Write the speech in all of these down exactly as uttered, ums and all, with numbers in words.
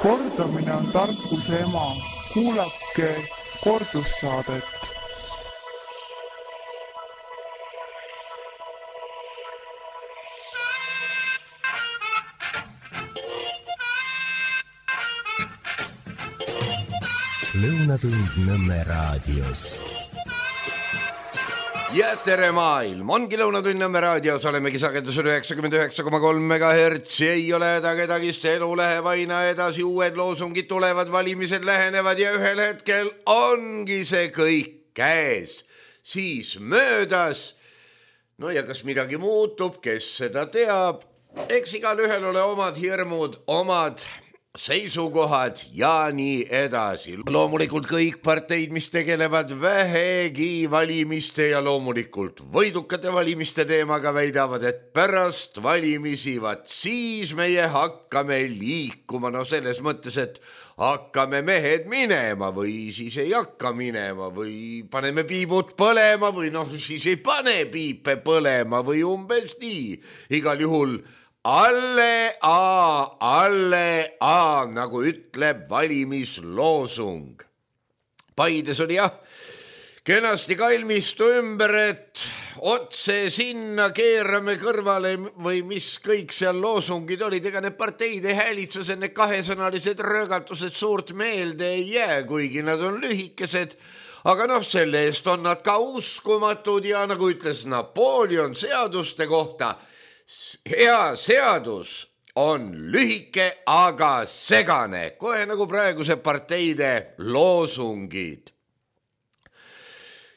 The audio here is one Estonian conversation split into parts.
Kordamine on tarkuse ema. Kuulake kordussaadet. Lõunatund Nõmme raadios. Ja tere maailm, ongi Lõunatund Nõmme raadios, olemegi sagedusel üheksakümmend üheksa koma kolm megahertsi, ei ole häda kedagist, elu läheb aina edasi, uued loosungid tulevad, valimised lähenevad ja ühel hetkel ongi see kõik käes, siis möödas. No ja kas midagi muutub, kes seda teab, eks igal ühel ole omad hirmud, omad seisukohad ja nii edasi. Loomulikult kõik parteid, mis tegelevad vähegi valimiste ja loomulikult võidukate valimiste teemaga väidavad, et pärast valimisi, vaat siis meie hakkame liikuma. No selles mõttes, et hakkame mehed minema või siis ei hakka minema või paneme piibud põlema või noh, siis ei pane piipe põlema või umbes nii. Igal juhul alle A, alle A, nagu ütleb valimisloosung. Paides oli jah, kenasti kalmistu ümber, et otse sinna keerame kõrvale või mis kõik seal loosungid olid, ega need parteide häälitsused, need kahesõnalised röögatused suurt meelde ei jää, kuigi nad on lühikesed, aga noh, selle eest on nad ka uskumatud ja nagu ütles Napoleon seaduste kohta, hea seadus on lühike, aga segane, kohe nagu praeguse parteide loosungid.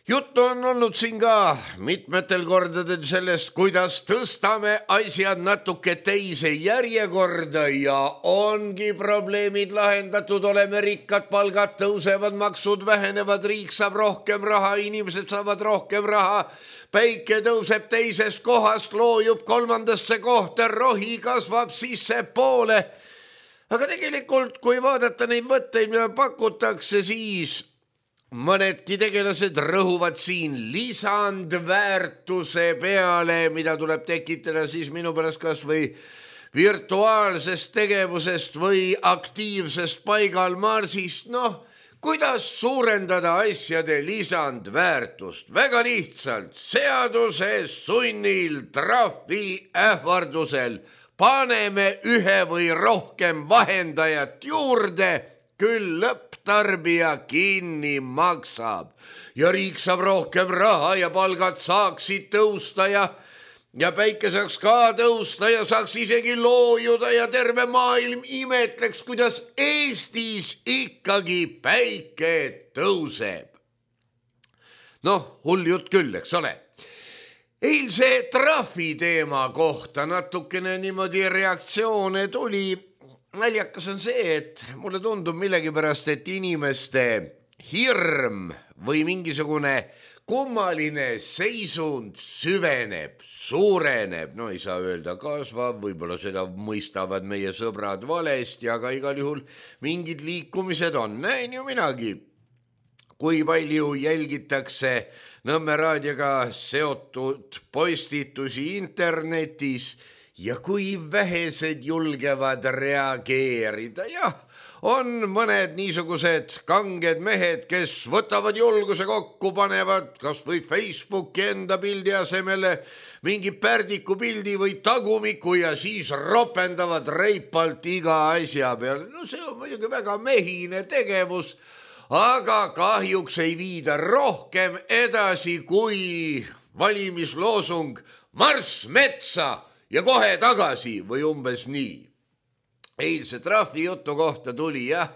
Juttu on olnud siin ka mitmetel kordadel sellest, kuidas tõstame asjad natuke teise järjekorda ja ongi probleemid lahendatud, oleme rikkad, palgad tõusevad, maksud vähenevad, riik saab rohkem raha, inimesed saavad rohkem raha, päike tõuseb teisest kohast, loojub kolmandasse kohta, rohi kasvab sisse poole. Aga tegelikult, kui vaadata neid võtteid, mida pakutakse, siis mõnedki tegelased rõhuvad siin lisandväärtuse peale, mida tuleb tekitada siis minu pärast kas või virtuaalsest tegevusest või aktiivsest paigalmarsist. Noh, kuidas suurendada asjade lisandväärtust? Väga lihtsalt, seaduse sunnil, trahvi ähvardusel paneme ühe või rohkem vahendajat juurde, küll lõpptarbija kinni maksab ja riik saab rohkem raha ja palgad saaksid tõusta ja, ja päike saaks ka tõusta ja saaks isegi loojuda ja terve maailm imetleks, kuidas Eestis ikkagi päike tõuseb. Noh, hull jutt küll, eks ole. Eilse trahvi teema kohta natukene niimoodi reaktsioone tuli. Naljakas on see, et mulle tundub millegipärast, et inimeste hirm või mingisugune kummaline seisund süveneb, suureneb, no ei saa öelda kasvab, võib-olla seda mõistavad meie sõbrad valesti, aga igal juhul mingid liikumised on, näin ju minagi. Kui palju jälgitakse Nõmme raadioga seotud postitusi internetis, ja kui vähesed julgevad reageerida, jah, on mõned niisugused kanged mehed, kes võtavad julguse kokku, panevad kas või Facebooki enda pildi asemele mingi pärdiku pildi või tagumiku ja siis ropendavad reipalt iga asja peale. No see on muidugi väga mehine tegevus, aga kahjuks ei viida rohkem edasi kui valimisloosung marss metsa ja kohe tagasi või umbes nii. Eilse trahvi jutu kohta tuli jah,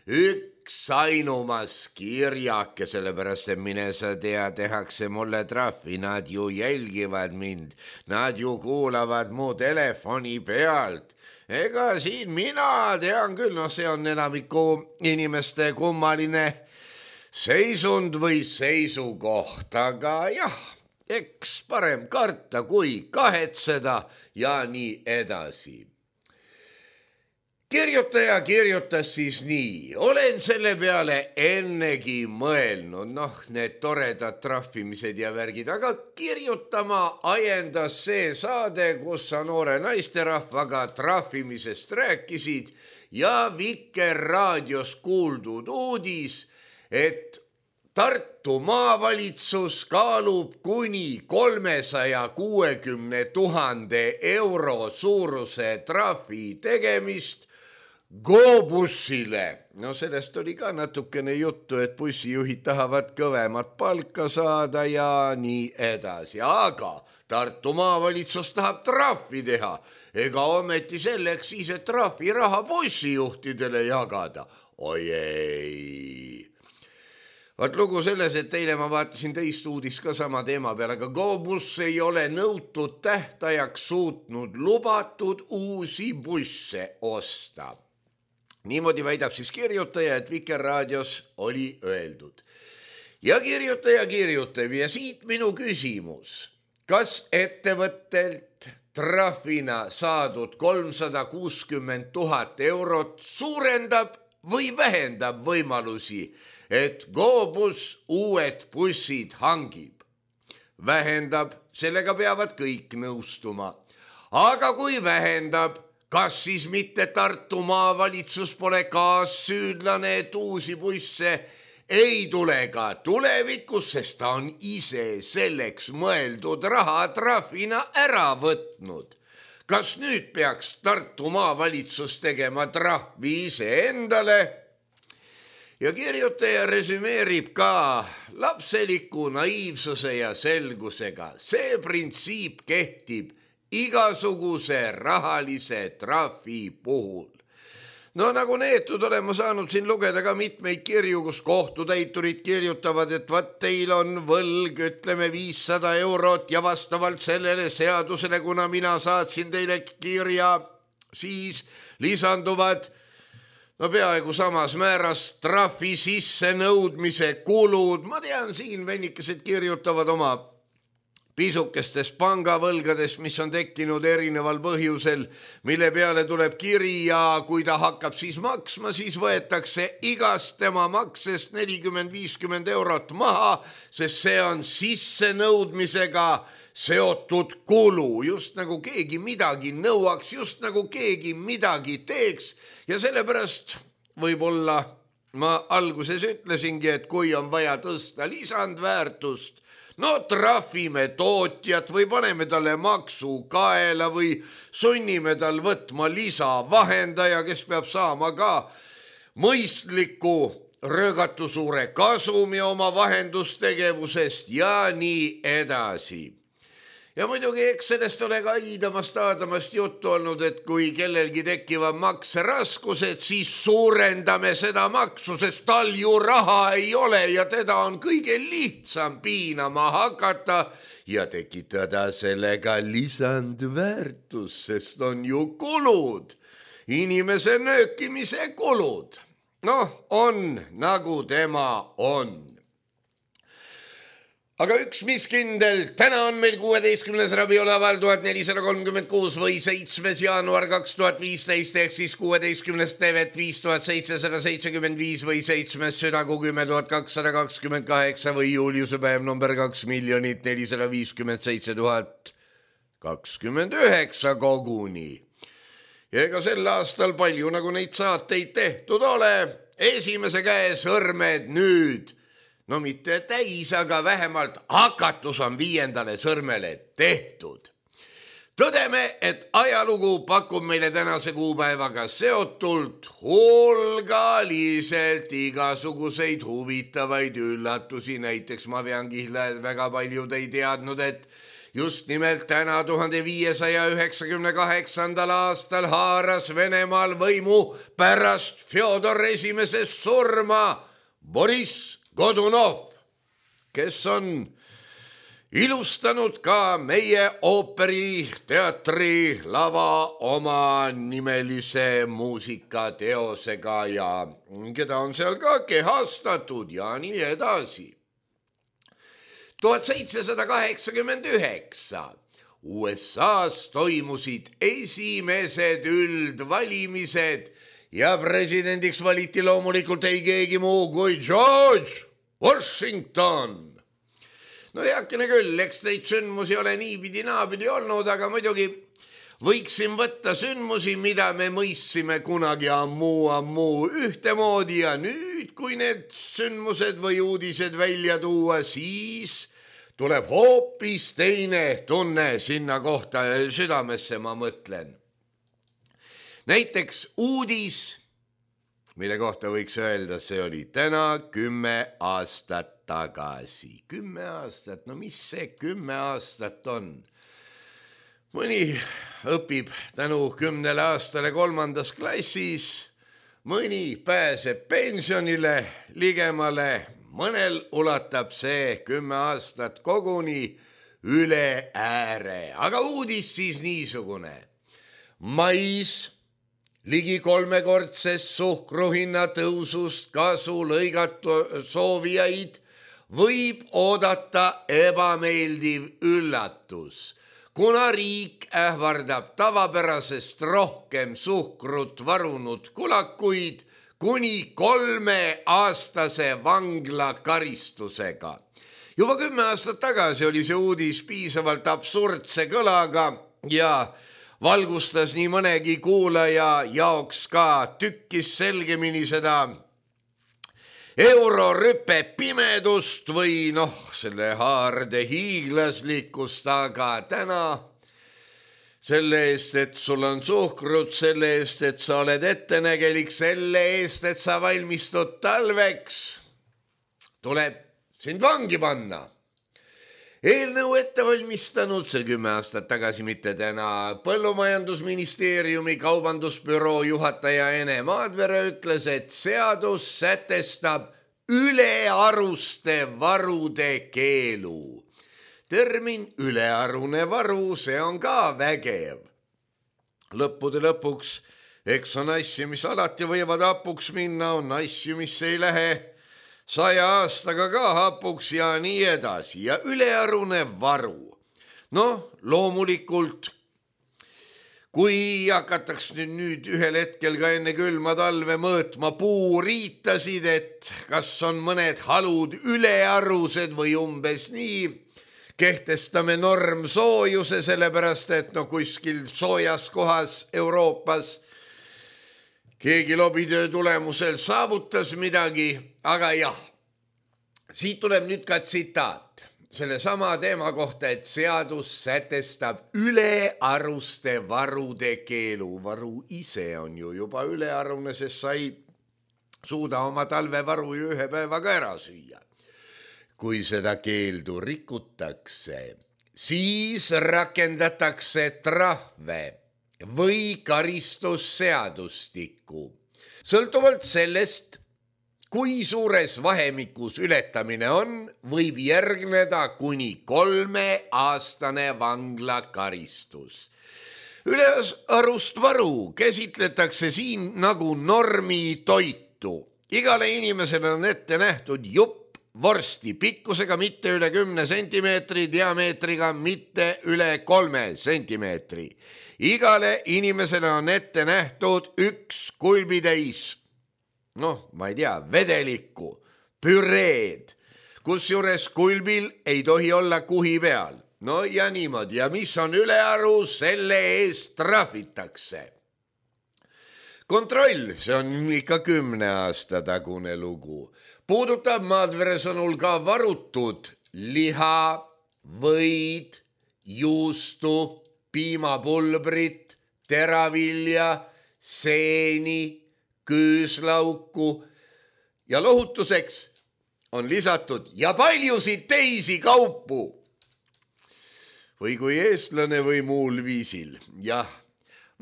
üks ainumas kirjake, sellepärast et mine sa tea, tehakse mulle trahvi, nad ju jälgivad mind, nad ju kuulavad mu telefoni pealt. Ega siin mina tean küll, noh see on enamiku inimeste kummaline seisund või seisukoht, aga jah, eks parem karta kui kahetseda ja nii edasi. kirjutaja kirjutas siis nii. Olen selle peale ennegi mõelnud, noh, need toredad trahvimised ja värgid, aga kirjutama ajendas see saade, kus sa noore naisterahvaga trahvimisest rääkisid ja Vikerraadios kuuldud uudis, et Tartu maavalitsus kaalub kuni kolmesaja kuuekümne tuhande euro suuruse trahvi tegemist GoBussile. No sellest oli ka natukene juttu, et bussijuhid tahavad kõvemat palka saada ja nii edasi. Aga Tartu maavalitsus tahab trahvi teha. Ega ometi selleks siis, et trahvi raha bussijuhtidele jagada. Oi ei. Vaat lugu selles, et teile ma vaatasin teist uudist ka sama teema peale, aga GoBus ei ole nõutud tähtajaks suutnud lubatud uusi busse osta. Niimoodi väidab siis kirjutaja, et Vikerraadios oli öeldud. Ja kirjutaja kirjutab ja siit minu küsimus. Kas ettevõttelt trahvina saadud kolmsada kuuskümmend tuhat eurot suurendab või vähendab võimalusi, et GoBus uued bussid hangib? Vähendab, sellega peavad kõik nõustuma. Aga kui vähendab, kas siis mitte Tartu maavalitsus pole kaassüüdlane, et uusi busse ei tule ka tulevikus, sest ta on ise selleks mõeldud raha trahvina ära võtnud? Kas nüüd peaks Tartu maavalitsus tegema trahvi ise endale? Ja kirjutaja resümeerib ka lapseliku naiivsuse ja selgusega. See printsiip kehtib igasuguse rahalise trahvi puhul. No nagu neetud olen ma saanud siin lugeda ka mitmeid kirju, kus kohtutäiturid kirjutavad, et vaat teil on võlg, ütleme viissada eurot ja vastavalt sellele seadusele, kuna mina saatsin teile kirja, siis lisanduvad no peaaegu samas määras trahvi sisse nõudmise kulud. Ma tean, siin vennikesed kirjutavad oma pisukestes pangavõlgades, mis on tekkinud erineval põhjusel, mille peale tuleb kiri ja kui ta hakkab siis maksma, siis võetakse igast tema maksest nelikümmend viiskümmend eurot maha, sest see on sissenõudmisega seotud kulu, just nagu keegi midagi nõuaks, just nagu keegi midagi teeks. Ja sellepärast võib-olla ma alguses ütlesingi, et kui on vaja tõsta lisandväärtust, no trahvime tootjat või paneme talle maksu kaela või sunnime tal võtma lisavahendaja, kes peab saama ka mõistliku röögatu suure kasumi oma vahendustegevusest ja nii edasi. Ja muidugi eks sellest ole ka iidamast aadamast juttu olnud, et kui kellelgi tekivad makseraskused, siis suurendame seda maksu, sest tal ju raha ei ole ja teda on kõige lihtsam piinama hakata ja tekitada sellega lisandväärtus, sest on ju kulud, inimese nöökimise kulud. Noh, on nagu tema on. Aga üks mis kindel, täna on meil kuueteistkümnes rabiolaval tuhat nelisada kolmkümmend kuus või seitsmes jaanuar kaks tuhat viisteist ehk siis kuueteistkümnes tevet viis tuhat seitsesada seitsekümmend viis või seitsmes südagu kümme tuhat kakssada kakskümmend kaheksa või juuliuse päev number kaks miljonit nelisada viiskümmend seitse tuhat kakskümmend üheksa koguni. Ja ega sel aastal palju nagu neid saateid tehtud ole, esimese käe sõrmed nüüd. No mitte täis, aga vähemalt hakatus on viiendale sõrmele tehtud. Tõdeme, et ajalugu pakub meile tänase kuupäevaga seotult hulgaliselt igasuguseid huvitavaid üllatusi. Näiteks ma vean kihla, et väga paljud ei teadnud, et just nimelt täna tuhande viiesaja üheksakümne kaheksandal aastal haaras Venemaal võimu pärast Fjodor esimese surma Boris Godunov, kes on ilustanud ka meie ooperiteatri lava oma nimelise muusikateosega ja keda on seal ka kehastatud ja nii edasi. tuhat seitsesada kaheksakümmend üheksa U S A-s toimusid esimesed üldvalimised ja presidendiks valiti loomulikult ei keegi muu kui George Washington. No heakene küll, eks neid sündmusi ole niipidi naapidi olnud, aga muidugi võiksin võtta sündmusi, mida me mõistsime kunagi ammu, ammu ühtemoodi ja nüüd, kui need sündmused või uudised välja tuua, siis tuleb hoopis teine tunne sinna kohta südamesse, ma mõtlen. Näiteks uudis, mille kohta võiks öelda, see oli täna kümme aastat tagasi. Kümme aastat, no mis see kümme aastat on? Mõni õpib tänu kümnele aastale kolmandas klassis, mõni pääseb pensionile ligemale, mõnel ulatab see kümme aastat koguni üle ääre. Aga uudis siis niisugune. Mais ligi kolmekordsest suhkruhinna tõusust kasu lõigatu soovijaid võib oodata ebameeldiv üllatus, kuna riik ähvardab tavapärasest rohkem suhkrut varunud kulakuid kuni kolmeaastase vangla karistusega. Juba kümme aastat tagasi oli see uudis piisavalt absurdse kõlaga ja valgustas nii mõnegi kuulaja jaoks ka tükkis selgemini seda eurorüpe pimedust või noh, selle haarde hiiglaslikkust, aga täna selle eest, et sul on suhkrut, selle eest, et sa oled ettenägelik, selle eest, et sa valmistud talveks, tuleb sind vangi panna. Eelnõu ette valmistanud see kümme aastat tagasi, mitte täna, Põllumajandusministeeriumi kaubandusbüroo juhataja Ene Maadvere ütles, et seadus sätestab ülearuste varude keelu. Termin ülearune varu, see on ka vägev. Lõppude lõpuks, eks on asju, mis alati võivad hapuks minna, on asju, mis ei lähe saja aastaga ka hapuks ja nii edasi. Ja ülearune varu. Noh, loomulikult, kui hakataks nüüd, nüüd ühel hetkel ka enne külma talve mõõtma puuriitasid, et kas on mõned halud ülearused või umbes nii, kehtestame norm soojuse, sellepärast et no kuskil soojas kohas Euroopas keegi lobitöö tulemusel saavutas midagi, aga jah, siit tuleb nüüd ka tsitaat selle sama teema kohta, et seadus sätestab ülearuste varude keelu. Varu ise on ju juba ülearune, sest sa ei suuda oma talvevaru ju ühe päevaga ära süüa. Kui seda keeldu rikutakse, siis rakendatakse trahve või karistusseadustikku. Sõltuvalt sellest, kui suures vahemikus ületamine on, võib järgneda kuni kolmeaastane vanglakaristus. Ülearust varu käsitletakse siin nagu normi toitu. Igale inimesele on ette nähtud jupp vorsti pikkusega mitte üle kümne sentimeetri, diameetriga mitte üle kolme sentimeetri. Igale inimesele on ette nähtud üks kulbitäis, noh, ma ei tea, vedelikku, püreed, kusjuures kulbil ei tohi olla kuhi peal. No ja niimoodi, ja mis on ülearu, selle eest trahvitakse. Kontroll, see on ikka kümne aasta tagune lugu. Puudutab Maadvere sõnul ka varutud liha, võid, juustu, piimapulbrit, teravilja, seeni, küüslauku ja lohutuseks on lisatud ja paljusid teisi kaupu. Või kui eestlane või muul viisil. Jah,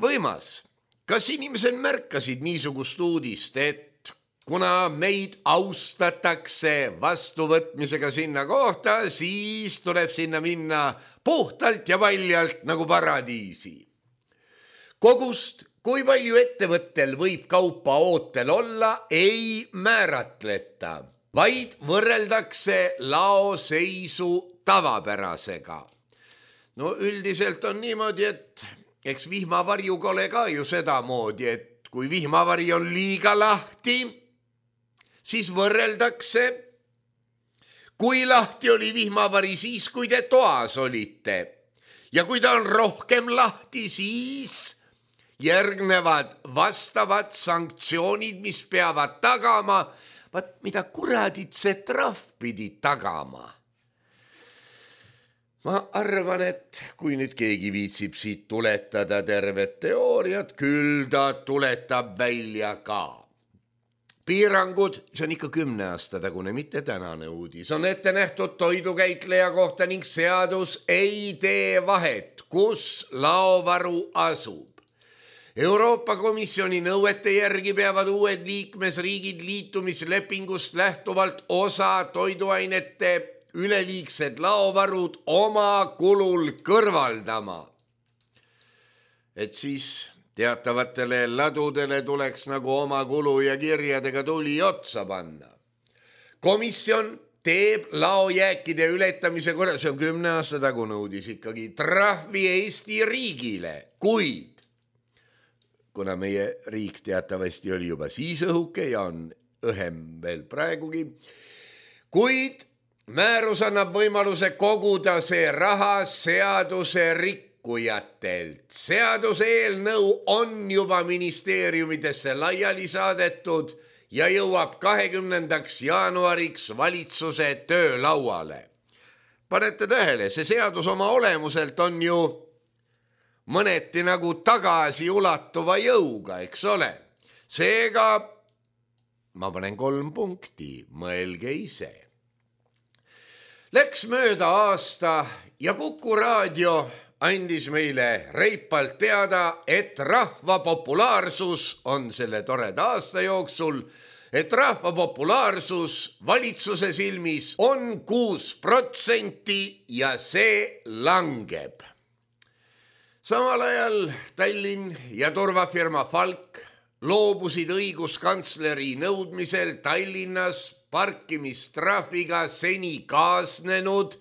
võimas. Kas inimesed märkasid niisugust uudist, et kuna meid austatakse vastuvõtmisega sinna kohta, siis tuleb sinna minna puhtalt ja paljalt nagu paradiisi. Kogust, kui palju ettevõttel võib kaupa ootel olla, ei määratleta, vaid võrreldakse laoseisu tavapärasega. No üldiselt on niimoodi, et eks vihmavarjuga ole ka ju sedamoodi, et kui vihmavari on liiga lahti, siis võrreldakse, kui lahti oli vihmavari siis, kui te toas olite. Ja kui ta on rohkem lahti, siis järgnevad vastavad sanktsioonid, mis peavad tagama, vaat mida kuradit see trahv pidi tagama. Ma arvan, et kui nüüd keegi viitsib siit tuletada tervet teooriat, küll ta tuletab välja ka. Piirangud, see on ikka kümne aasta tagune, mitte tänane uudis, on ette nähtud toidukäitleja kohta ning seadus ei tee vahet, kus laovaru asub. Euroopa Komisjoni nõuete järgi peavad uued liikmesriigid liitumislepingust lähtuvalt osa toiduainete üleliigsed laovarud oma kulul kõrvaldama. Et siis teatavatele ladudele tuleks nagu oma kulu ja kirjadega tuli otsa panna. Komisjon teeb laojääkide ületamise korral, see on kümne aasta tagune uudis ikkagi, trahvi Eesti riigile, kuid kuna meie riik teatavasti oli juba siis õhuke ja on õhem veel praegugi, kuid määrus annab võimaluse koguda see raha seaduse rikkujatelt. Seaduse eelnõu on juba ministeeriumidesse laiali saadetud ja jõuab kahekümnendaks jaanuariks valitsuse töölauale. Panete tähele, see seadus oma olemuselt on ju mõneti nagu tagasi ulatuva jõuga, eks ole. Seega ma panen kolm punkti, mõelge ise. Läks mööda aasta ja Kuku raadio andis meile reipalt teada, et rahva populaarsus on selle toreda aasta jooksul, et rahva populaarsus valitsuse silmis on kuus protsenti ja see langeb. Samal ajal Tallinn ja turvafirma Falk loobusid õiguskantsleri nõudmisel Tallinnas parkimistrahviga seni kaasnenud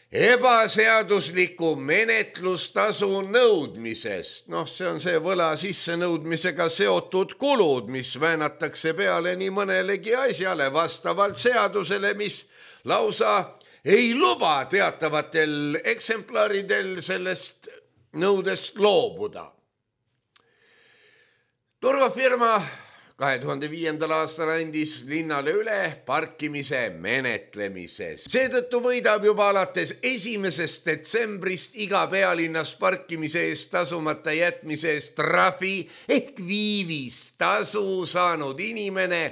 ebaseadusliku menetlustasu nõudmisest. Noh, see on see võla sisse nõudmisega seotud kulud, mis väänatakse peale nii mõnelegi asjale vastavalt seadusele, mis lausa ei luba teatavatel eksemplaridel sellest nõudest loobuda. Turvafirma kahe tuhande viiendal aastal andis linnale üle parkimise menetlemise. Seetõttu võidab juba alates esimesest detsembrist iga pealinnas parkimise eest tasumata jätmise eest trahvi ehk viivistasu saanud inimene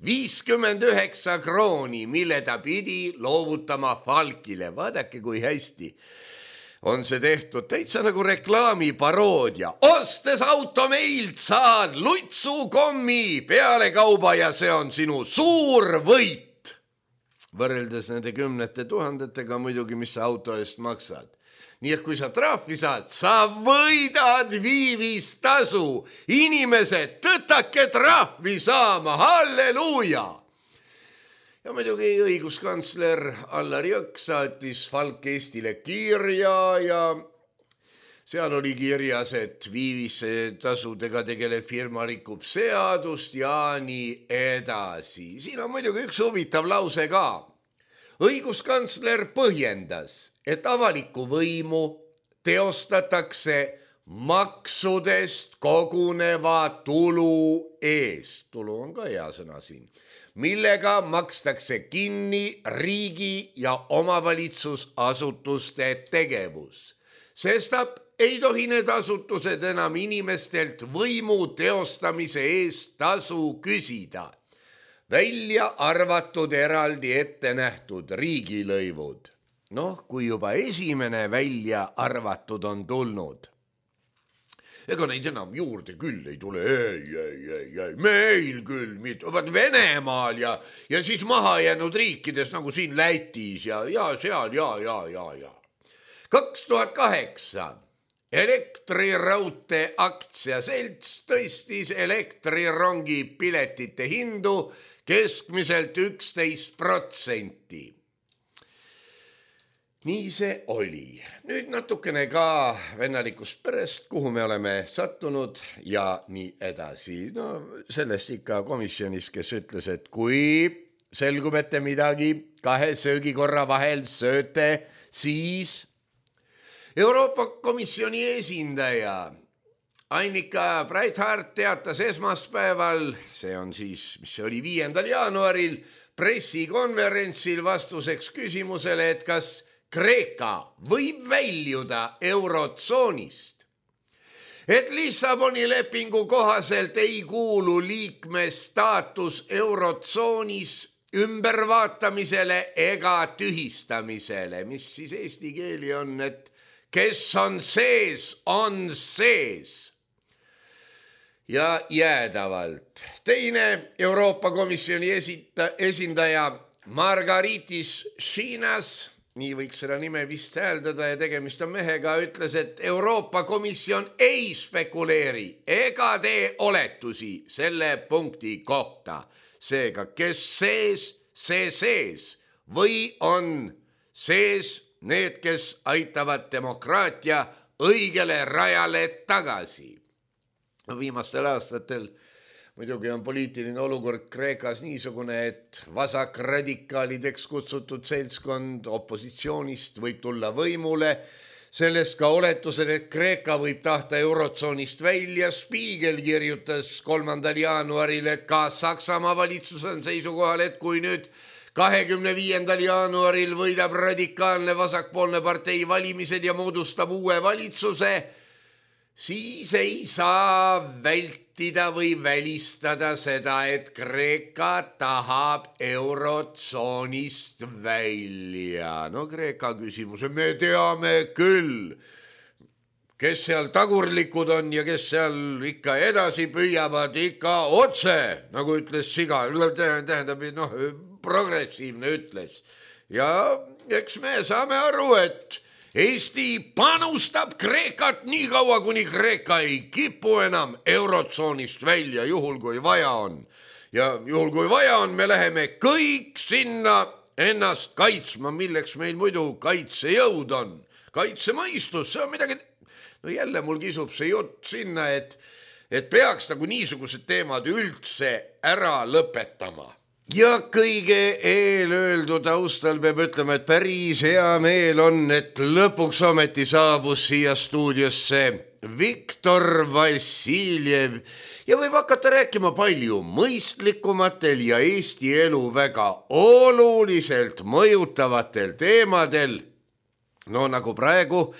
viiskümmend üheksa krooni, mille ta pidi loovutama Falkile. Vaadake, kui hästi on see tehtud, täitsa nagu reklaamiparoodia. Ostes auto meilt saad lutsukommi peale kauba ja see on sinu suur võit. Võrreldes nende kümnete tuhandetega muidugi, mis sa auto eest maksad. Nii et kui sa trahvi saad, sa võidad viivistasu. Inimesed, tõtake trahvi saama, halleluuja! Ja muidugi õiguskantsler Allar Jõks saatis Falk Eestile kirja ja seal oli kirjas, et viivistasudega tegelev firma rikub seadust ja nii edasi. Siin on muidugi üks huvitav lause ka. Õiguskantsler põhjendas, et avalikku võimu teostatakse maksudest koguneva tulu eest. Tulu on ka hea sõna siin. Millega makstakse kinni riigi ja omavalitsusasutuste tegevus. Sestap ei tohi need asutused enam inimestelt võimu teostamise eest tasu küsida. Välja arvatud eraldi ette nähtud riigilõivud. Noh, kui juba esimene välja arvatud on tulnud. Ega neid enam juurde küll ei tule, ei, ei, ei, ei, meil küll, vaat Venemaal ja, ja siis maha jäänud riikides nagu siin Lätis ja, ja seal, ja, ja, ja, ja. kaks tuhat kaheksa Elektriraudtee aktsiaselts tõstis elektrirongi piletite hindu keskmiselt üksteist protsenti. nii see oli. Nüüd natukene ka vennalikust perest, kuhu me oleme sattunud ja nii edasi. No sellest ikka komisjonis, kes ütles, et kui selgub, et te midagi kahe söögikorra vahel sööte, siis Euroopa Komisjoni esindaja Annika Breithardt teatas esmaspäeval, see on siis, mis see oli viiendal jaanuaril, pressikonverentsil vastuseks küsimusele, et kas Kreeka võib väljuda eurotsoonist. Et Lissaboni lepingu kohaselt ei kuulu liikme staatus eurotsoonis ümbervaatamisele ega tühistamisele, mis siis eesti keeli on, et kes on sees, on sees. Ja jäädavalt. Teine Euroopa Komisjoni esita, esindaja Margaritis Šinas, nii võiks seda nime vist hääldada ja tegemist on mehega, ütles, et Euroopa Komisjon ei spekuleeri ega tee oletusi selle punkti kohta. Seega, kes sees, see sees või on sees need, kes aitavad demokraatia õigele rajale tagasi. Viimastel aastatel muidugi on poliitiline olukord Kreekas niisugune, et vasakradikaalideks kutsutud seltskond opositsioonist võib tulla võimule. Sellest ka oletused, et Kreeka võib tahta eurotsoonist välja. Spiegel kirjutas kolmandal jaanuaril, et ka Saksamaa valitsus on seisukohal, et kui nüüd kahekümne viiendal jaanuaril võidab radikaalne vasakpoolne partei valimised ja moodustab uue valitsuse, siis ei saa vältida või välistada seda, et Kreeka tahab eurotsoonist välja. No Kreeka küsimuse me teame küll, kes seal tagurlikud on ja kes seal ikka edasi püüavad ikka otse, nagu ütles Siga, tähendab, noh, progressiivne ütles. Ja eks me saame aru, et Eesti panustab Kreekat nii kaua, kuni Kreeka ei kipu enam eurotsoonist välja, juhul kui vaja on. Ja juhul kui vaja on, me läheme kõik sinna ennast kaitsma, milleks meil muidu kaitsejõud on. Kaitsemõistus, see on midagi. No jälle mul kisub see jutt sinna, et, et peaks nagu niisugused teemad üldse ära lõpetama. Ja kõige eelöeldu taustal peab ütlema, et päris hea meel on, et lõpuks ometi saabus siia stuudiosse Viktor Vassiljev ja võib hakata rääkima palju mõistlikumatel ja Eesti elu väga oluliselt mõjutavatel teemadel. No nagu praegu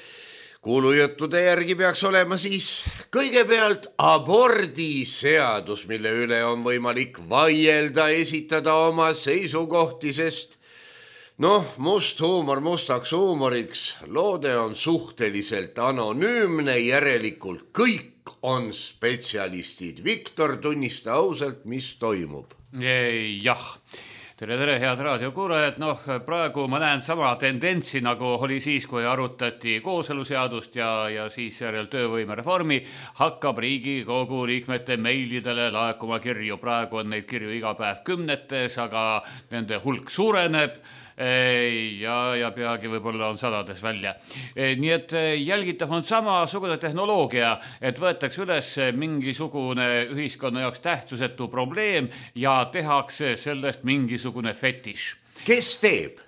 kuulujuttude järgi peaks olema siis kõigepealt abordiseadus, mille üle on võimalik vaielda, esitada oma seisukohti, sest noh, must huumor mustaks huumoriks, loode on suhteliselt anonüümne, järelikult kõik on spetsialistid. Viktor, tunnista ausalt, mis toimub? Jah. Tere, tere, head raadiokuulajad. Noh, praegu ma näen sama tendentsi, nagu oli siis, kui arutati kooseluseadust ja, ja siis järel töövõimereformi, hakkab Riigikogu liikmete meilidele laekuma kirju. Praegu on neid kirju iga päev kümnetes, aga nende hulk suureneb ja, ja peagi võib-olla on sadades välja. Nii et jälgitav on samasugune tehnoloogia, et võetakse üles mingisugune ühiskonna jaoks tähtsusetu probleem ja tehakse sellest mingisugune fetiš. Kes teeb?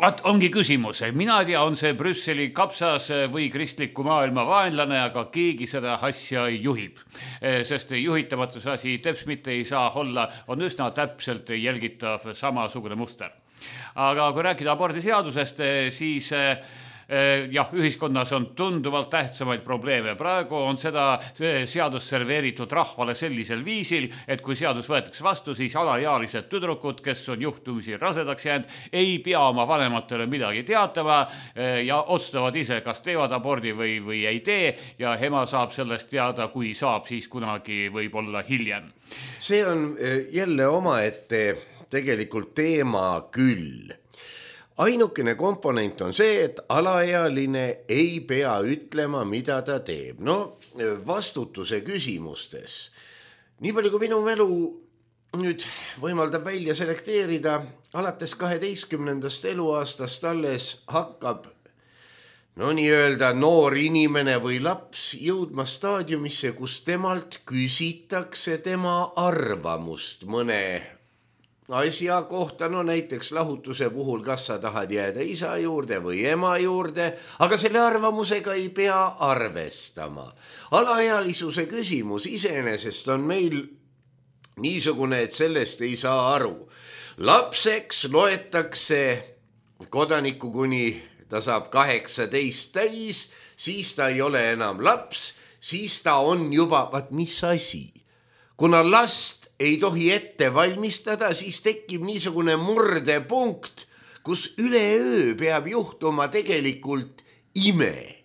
At ongi küsimus. Mina tea, on see Brüsseli kapsas või kristliku maailma vaenlane, aga keegi seda asja juhib. Sest juhitamatuse asi teps mitte ei saa olla, on üsna täpselt jälgitav samasugune muster. Aga kui rääkida abordiseadusest, siis jah, ühiskonnas on tunduvalt tähtsamaid probleeme. Praegu on seda seadust serveeritud rahvale sellisel viisil, et kui seadus võetakse vastu, siis alaealised tüdrukud, kes on juhtumisi rasedaks jäänud, ei pea oma vanematele midagi teatama ja otsustavad ise, kas teevad abordi või, või ei tee, ja ema saab sellest teada, kui saab, siis kunagi võib olla hiljem. See on jälle omaette tegelikult teema küll. Ainukene komponent on see, et alaealine ei pea ütlema, mida ta teeb. No vastutuse küsimustes. Nii palju kui minu mälu nüüd võimaldab välja selekteerida alates kaheteistkümnendast eluaastast alles hakkab no nii öelda noor inimene või laps jõudma staadiumisse, kus temalt küsitakse tema arvamust mõne asja kohta, no näiteks lahutuse puhul, kas sa tahad jääda isa juurde või ema juurde, aga selle arvamusega ei pea arvestama. Alaealisuse küsimus iseenesest on meil niisugune, et sellest ei saa aru. Lapseks loetakse kodanikku, kuni ta saab kaheksateist täis, siis ta ei ole enam laps, siis ta on juba, vaat mis asi. Kuna last ei tohi ette valmistada, siis tekib niisugune murdepunkt, kus üleöö peab juhtuma tegelikult ime.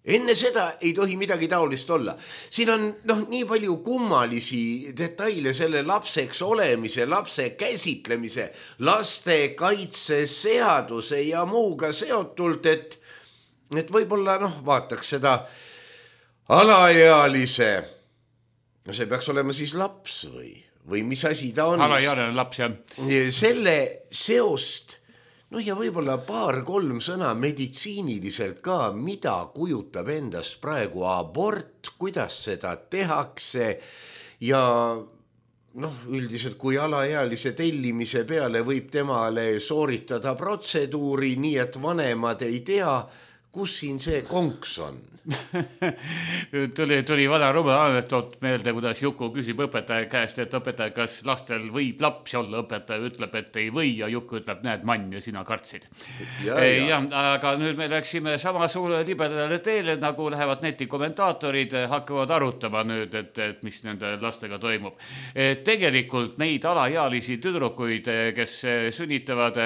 Enne seda ei tohi midagi taolist olla. Siin on noh, nii palju kummalisi detaile selle lapseks olemise, lapse käsitlemise, laste kaitseseaduse ja muuga seotult, et, et võib-olla noh, vaataks seda alaealise. No see peaks olema siis laps või, või mis asi ta on. Alaealine laps, jah. Selle seost, no ja võib-olla paar-kolm sõna meditsiiniliselt ka, mida kujutab endast praegu abort, kuidas seda tehakse ja noh, üldiselt kui alaealise tellimise peale võib temale sooritada protseduuri, nii et vanemad ei tea, kus siin see konks on. tuli, tuli vana rumal anekdoot meelde, kuidas Juku küsib õpetaja käest, et õpetaja, kas lastel võib lapsi olla, õpetaja ütleb, et ei või ja Juku ütleb, näed mann ja sina kartsid. Ja, ja. Ja, aga nüüd me läksime sama suure libedale teele, nagu lähevad netikommentaatorid, hakkavad arutama nüüd, et, et mis nende lastega toimub. Tegelikult neid alaealisi tüdrukuid, kes sünnitavad,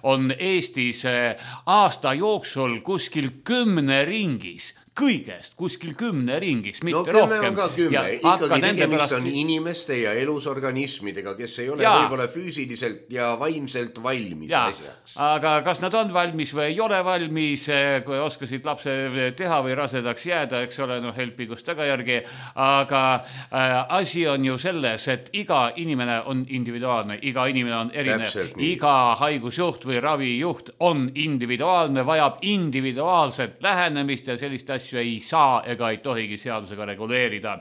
on Eestis aasta jooksul kuskil kümne ringis. Kõigest kuskil kümne ringis, mitte no, rohkem. No kümme on ka kümme, ikkagi tegemist on inimeste ja elusorganismidega, kes ei ole ja. Võib-olla füüsiliselt ja vaimselt valmis ja. Asjaks. Aga kas nad on valmis või ei ole valmis, kui oskasid lapse teha või rasedaks jääda, eks ole, noh, helpigust tagajärgi, aga äh, asi on ju selles, et iga inimene on individuaalne, iga inimene on erinev, iga haigusjuht või ravijuht on individuaalne, vajab individuaalset lähenemist ja sellist asja ei saa ega ei tohigi seadusega reguleerida.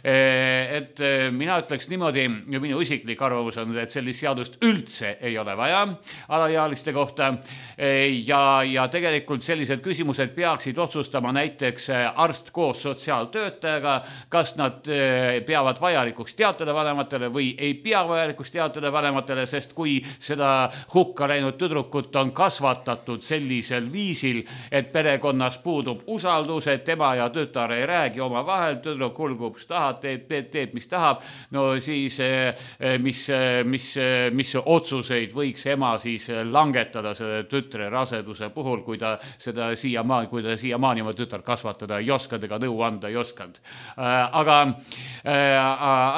Et mina ütleks niimoodi, minu isiklik arvamus on, et sellist seadust üldse ei ole vaja alaealiste kohta ja, ja tegelikult sellised küsimused peaksid otsustama näiteks arst koos sotsiaaltöötajaga, kas nad peavad vajalikuks teatada vanematele või ei pea vajalikuks teatada vanematele, sest kui seda hukka läinud tüdrukut on kasvatatud sellisel viisil, et perekonnas puudub usaldus, et tema ja tütar ei räägi oma vahel, tüdruk hulgub, mis tahab, teeb, teeb, teeb, mis tahab, no siis mis, mis, mis otsuseid võiks ema siis langetada selle tütre raseduse puhul, kui ta seda siiamaani, kui ta siiamaani oma tütar kasvatada ei oskanud ega nõu anda ei oskanud. Aga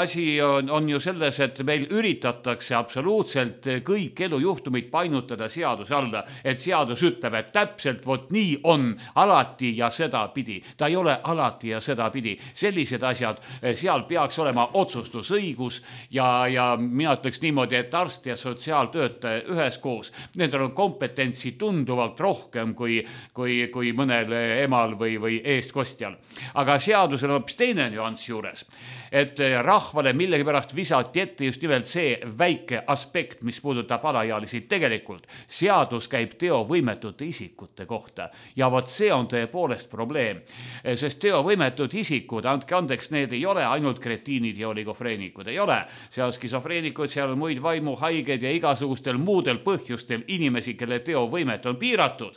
asi on, on ju selles, et meil üritatakse absoluutselt kõik elujuhtumid painutada seaduse alla, et seadus ütleb, et täpselt vot nii on alati ja seda pidi. Ta ei ole alati ja seda pidi. Sellised asjad, seal peaks olema otsustusõigus ja, ja mina ütleks niimoodi, et arst ja sotsiaaltöötaja üheskoos, nendel on kompetentsi tunduvalt rohkem kui, kui, kui mõnel emal või, või eestkostjal. Aga seadusel on hoopis teine nüanss juures, et rahvale millegipärast visati ette just nimelt see väike aspekt, mis puudutab alaealisi. Tegelikult seadus käib teovõimetute isikute kohta ja vot see on tõepoolest probleem, sest teovõimetud isikud, andke andeks, need ei ole ainult kretiinid ja oligofreenikud, ei ole. Seal skisofreenikud, seal on muid vaimuhaiged ja igasugustel muudel põhjustel inimesi, kelle teovõimet on piiratud.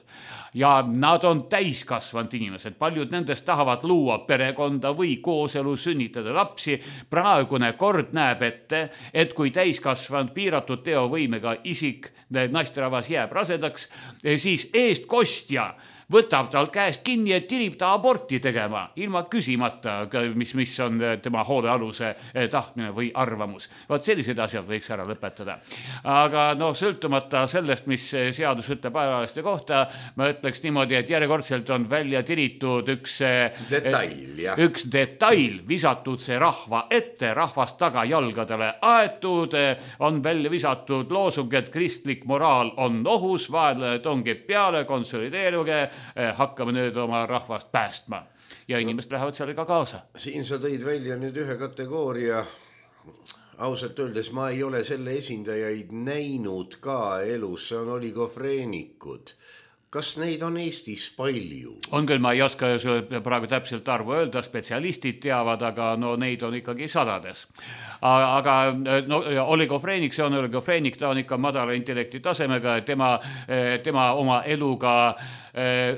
Ja nad on täiskasvanud inimesed, paljud nendest tahavad luua perekonda või kooselu, sünnitada lapsi. Praegune kord näeb ette, et kui täiskasvanud piiratud teovõimega isik, naisterahvas jääb rasedaks, siis eestkostja võtab tal käest kinni, et tirib ta aborti tegema, ilma küsimata, mis, mis on tema hoolealuse tahtmine või arvamus. Vaat sellised asjad võiks ära lõpetada. Aga noh, sõltumata sellest, mis seadus ütleb ajalaste kohta, ma ütleks niimoodi, et järjekordselt on välja tiritud üks detail, jah. üks detail, visatud see rahva ette, rahvast taga jalgadele aetud, on välja visatud loosung, et kristlik moraal on ohus, vaenlane tongib peale, konsolideeruge, hakkame nüüd oma rahvast päästma. Ja inimesed lähevad sellega kaasa. Siin sa tõid välja nüüd ühe kategooria. Ausalt öeldes ma ei ole selle esindajaid näinud ka elus, see on oligofreenikud. Kas neid on Eestis palju? On küll, ma ei oska praegu täpselt arvu öelda, spetsialistid teavad, aga no neid on ikkagi sadades. Aga no, oligofreenik, see on oligofreenik, ta on ikka madala intellekti tasemega, tema, tema oma eluga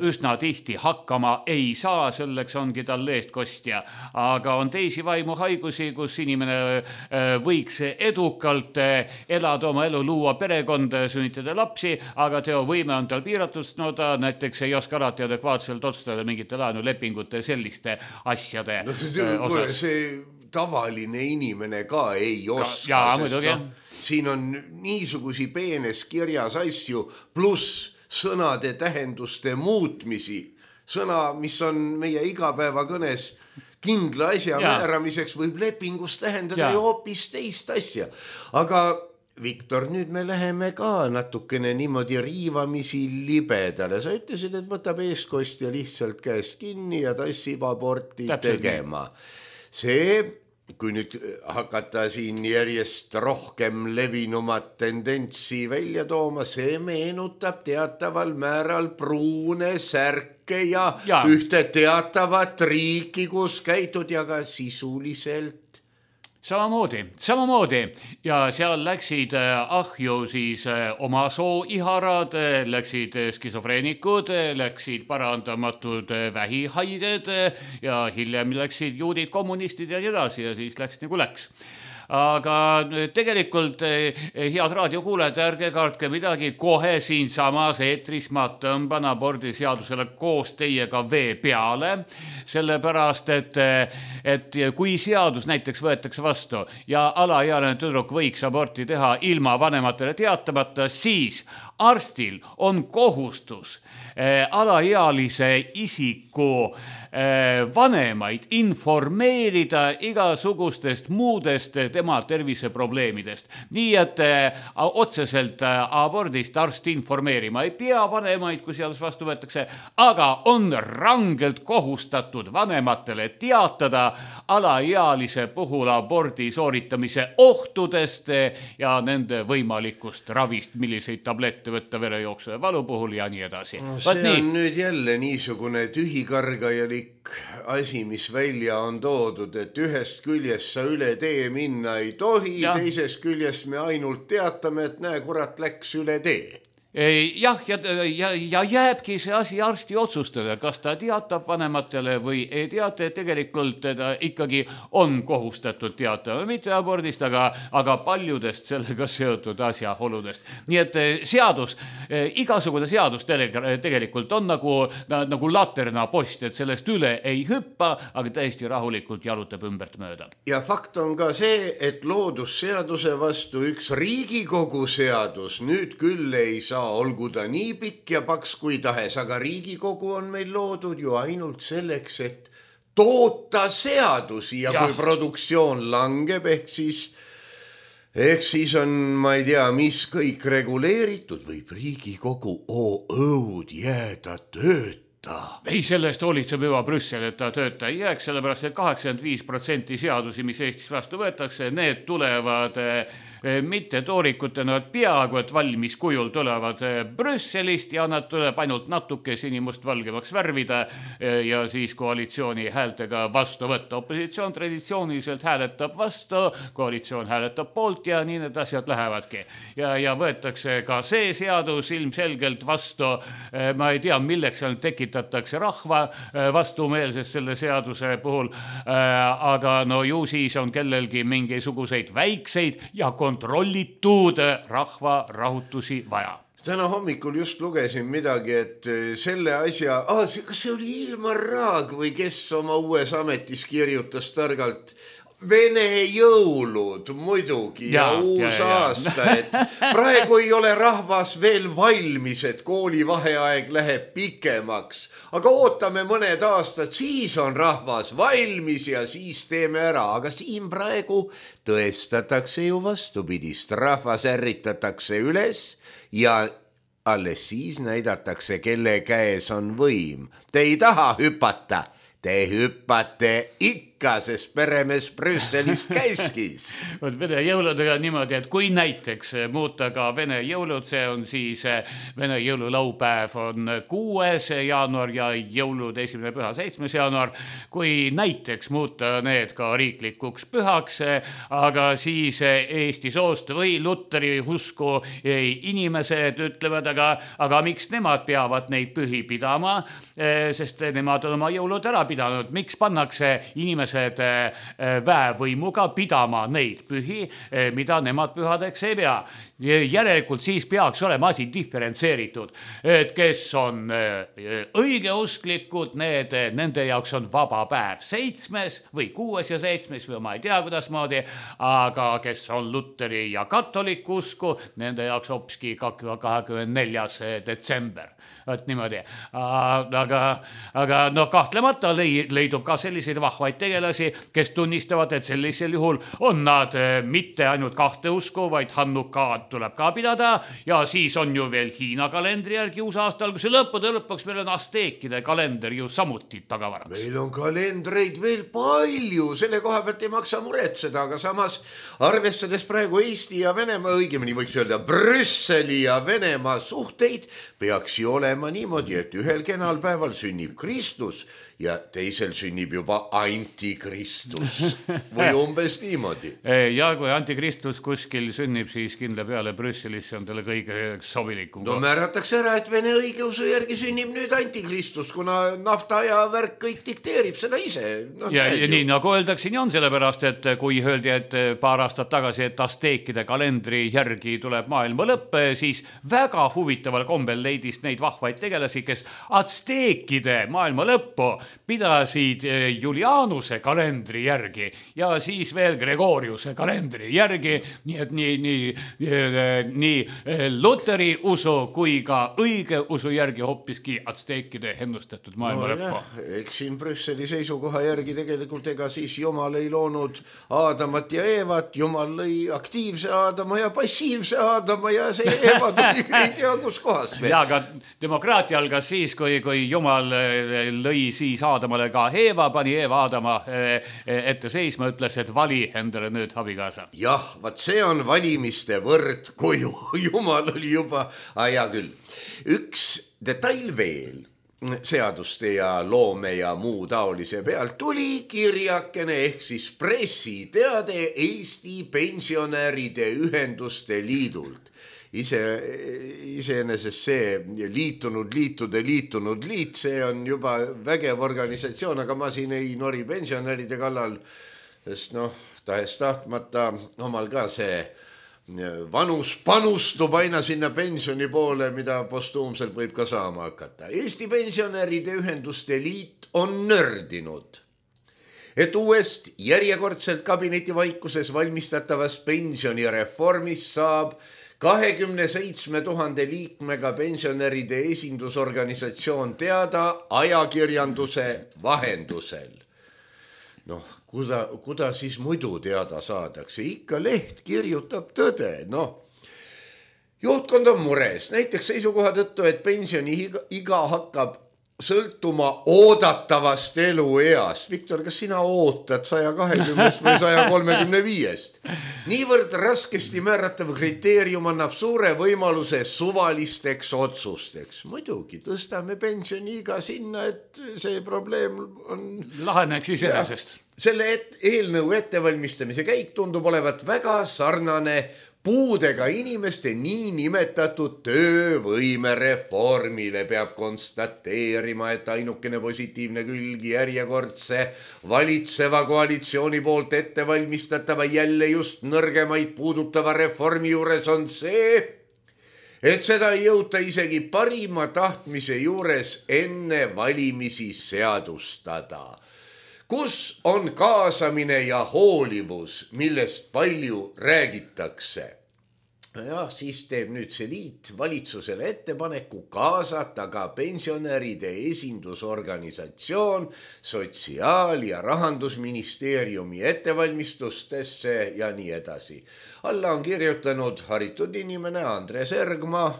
üsna tihti hakkama ei saa, selleks ongi tal eestkostja. Aga on teisi vaimuhaigusi, kus inimene võiks edukalt elada oma elu, luua perekonda, sünnitada lapsi, aga teovõime on tal piiratud, no ta näiteks ei oska alati adekvaatselt otsustada mingite laenulepingute selliste asjade no, see, osas. See tavaline inimene ka ei oska, ja, sest no, siin on niisugusi peenes kirjas asju, pluss sõnade tähenduste muutmisi. Sõna, mis on meie igapäevakõnes kindla asja ja. määramiseks, võib lepingus tähendada ja. ju hoopis teist asja. Aga Viktor, nüüd me läheme ka natukene niimoodi riivamisi libedale. Sa ütlesid, et võtab eeskostja lihtsalt käest kinni ja tassib aborti Täpselt tegema. See, kui nüüd hakata siin järjest rohkem levinumat tendentsi välja tooma, see meenutab teataval määral pruune särke ja, ja. ühte teatavat riiki, kus käitud ja ka sisuliselt Samamoodi, samamoodi ja seal läksid ahju siis oma sooiharad, läksid skisofreenikud, läksid parandamatud vähihaiged ja hiljem läksid juudid, kommunistid ja nii edasi ja siis läks nagu läks. Aga tegelikult head raadiokuulajad, ärge kartke midagi, kohe siin samas eetris ma tõmban abordiseadusele koos teiega vee peale, sellepärast, et, et kui seadus näiteks võetakse vastu ja alaealine tüdruk võiks aborti teha ilma vanematele teatamata, siis arstil on kohustus eh, alaealise isiku eh, vanemaid informeerida igasugustest muudest tema terviseprobleemidest. Nii et eh, otseselt eh, abordist arst informeerima ei pea vanemaid, kui seadus vastu võetakse, aga on rangelt kohustatud vanematele teatada alaealise puhul abordi sooritamise ohtudest ja nende võimalikust ravist, milliseid tablette võtta verejooksu ja valu puhul ja nii edasi. No, see Vaat on nii. Nüüd jälle niisugune tühikargajalik asi, mis välja on toodud, et ühest küljest sa üle tee minna ei tohi, ja. teisest küljest me ainult teatame, et näe, kurat läks üle tee. Jah, ja, ja, ja jääbki see asi arsti otsustada, kas ta teatab vanematele või ei teata, et tegelikult ta ikkagi on kohustatud teatama, mitte abordist, aga, aga paljudest sellega seotud asjaoludest. Nii et seadus, igasugune seadus tegelikult on nagu, nagu laterna post, et sellest üle ei hüppa, aga täiesti rahulikult jalutab ümbert mööda. Ja fakt on ka see, et loodusseaduse vastu üks Riigikogu seadus nüüd küll ei saa olgu ta nii pikk ja paks kui tahes, aga Riigikogu on meil loodud ju ainult selleks, et toota seadusi ja, ja. kui produktsioon langeb, ehk siis, ehk siis on, ma ei tea, mis kõik reguleeritud, võib Riigikogu oo õud jääda tööd. Ei, sellest hoolitseb juba Brüssel, et ta tööta ei jääks, sellepärast, et kaheksakümmend viis protsenti seadusi, mis Eestis vastu võetakse, need tulevad mitte toorikutena, peaaegu et valmis kujul tulevad Brüsselist ja nad tuleb ainult natuke sinimust valgemaks värvida ja siis koalitsiooni häältega vastu võtta. Opositsioon traditsiooniliselt hääletab vastu, koalitsioon hääletab poolt ja nii need asjad lähevadki. Ja, ja võetakse ka see seadus ilmselgelt vastu. Ma ei tea, milleks seal tekitatakse rahva vastumeelsest selle seaduse puhul, aga no ju siis on kellelgi mingisuguseid väikseid ja kontrollitud rahva rahutusi vaja. täna hommikul just lugesin midagi, et selle asja, ah, kas see oli Ilmar Raag või kes oma uues ametis kirjutas targalt Vene jõulud muidugi ja, ja uus ja, aasta, ja. Et praegu ei ole rahvas veel valmis, et koolivaheaeg läheb pikemaks, aga ootame mõned aastad, siis on rahvas valmis ja siis teeme ära, aga siin praegu tõestatakse ju vastupidist, rahvas ärritatakse üles ja alles siis näidatakse, kelle käes on võim. Te ei taha hüpata, te hüppate ikka, sest peremees Brüsselist käiskis. Vene jõuludega niimoodi, et kui näiteks muuta ka Vene jõulud, see on siis Vene jõululaupäev on kuues jaanuar ja jõulud esimene püha seitsmes jaanuar, kui näiteks muuta need ka riiklikuks pühaks, aga siis Eesti soost või Luteri usku inimesed ütlevad, aga, aga miks nemad peavad neid pühi pidama, sest nemad on oma jõulud ära pidanud, miks pannakse inimesed väevõimuga pidama neid pühi, mida nemad pühadeks ei pea. Järelikult siis peaks olema asi diferentseeritud, et kes on õigeusklikud, need, nende jaoks on vaba päev seitsmes või kuues ja seitsmes või ma ei tea kuidasmoodi, aga kes on Luteri ja katolik usku, nende jaoks hopski kahekümne neljas detsember. Et niimoodi. Aga, aga no kahtlemata leidub ka selliseid vahvaid tegelasi, kes tunnistavad, et sellisel juhul on nad mitte ainult kahte usku, vaid Hannukaad tuleb ka pidada ja siis on ju veel Hiina kalendri järgi uus aastal, kus lõppude lõpuks meil on asteekide kalender ju samuti tagavaraks. Meil on kalendreid veel palju, selle koha pealt ei maksa muretseda, aga samas arvestades praegu Eesti ja Venemaa, õigemini võiks öelda Brüsseli ja Venemaa suhteid, peaks ju olema niimoodi, et ühel kenal päeval sünnib Kristus ja teisel sünnib juba antikristus või umbes niimoodi. Ja kui antikristus kuskil sünnib, siis kindla peale Brüsselis on talle kõige sobilikum. No määratakse ära, et Vene õigeusu järgi sünnib nüüd antikristus, kuna nafta ja värk kõik dikteerib seda ise. No, ja, ja nii nagu öeldakse, nii on sellepärast, et kui öeldi, et paar aastat tagasi, et asteekide kalendri järgi tuleb maailma lõpp, siis väga huvitaval kombel leidis neid vahvaid tegelasi, kes asteekide maailma lõppu pidasid Julianuse kalendri järgi ja siis veel Gregoriuse kalendri järgi, nii et nii, nii, nii Luteri usu kui ka õige usu järgi hoppiski atsteekide ennustatud maailma no, lõppu. Eks siin Brüsseli seisukoha järgi tegelikult ega siis Jumal ei loonud Aadamat ja Eevat, Jumal lõi aktiivse Aadama ja passiivse Aadama ja see Eeva tuli ei tea kus kohast veel. Ja, aga demokraatia algas siis, kui, kui Jumal lõi siis Aadamale ka Eeva, pani Eeva Aadama ette seisma, ütles, et vali endale nüüd abikaasa. Jah, vaat see on valimiste võrd, kui Jumal oli juba, ah, hea küll. Üks detail veel, seaduste ja loome ja muu taolise pealt tuli kirjakene ehk siis pressiteade Eesti pensionäride ühenduste liidult. Ise, iseenesest see liitunud liitude liitunud liit, see on juba vägev organisatsioon, aga ma siin ei nori pensionäride kallal, sest noh, tahes tahtmata omal ka see vanus panustub aina sinna pensioni poole, mida postuumselt võib ka saama hakata. Eesti pensionäride ühenduste liit on nördinud, et uuest järjekordselt kabinetivaikuses valmistatavast pensionireformist saab kahekümne seitsme tuhande liikmega pensionäride esindusorganisatsioon teada ajakirjanduse vahendusel. Noh, kuda, kuda siis muidu teada saadakse? Ikka leht kirjutab tõde, noh. Juhtkond on mures, näiteks seisukoha tõttu, et pensioni iga hakkab sõltuma oodatavast elueast. Viktor, kas sina ootad saja kahekümnest või saja kolmekümne viiest? Niivõrd raskesti määratav kriteerium annab suure võimaluse suvalisteks otsusteks. Muidugi, tõstame pensioni iga sinna, et see probleem on... Laheneks iseenesest. Selle et, eelnõu ettevalmistamise käik tundub olevat väga sarnane puudega inimeste nii nimetatud töövõimereformile. Peab konstateerima, et ainukene positiivne külgi järjekordse valitseva koalitsiooni poolt ettevalmistatava jälle just nõrgemaid puudutava reformi juures on see, et seda ei jõuta isegi parima tahtmise juures enne valimisi seadustada. Kus on kaasamine ja hoolivus, millest palju räägitakse? Ja siis teeb nüüd see liit valitsusele ettepaneku kaasata ka pensionäride esindusorganisatsioon Sotsiaal- ja Rahandusministeeriumi ettevalmistustesse ja nii edasi. Alla on kirjutanud haritud inimene Andres Ergma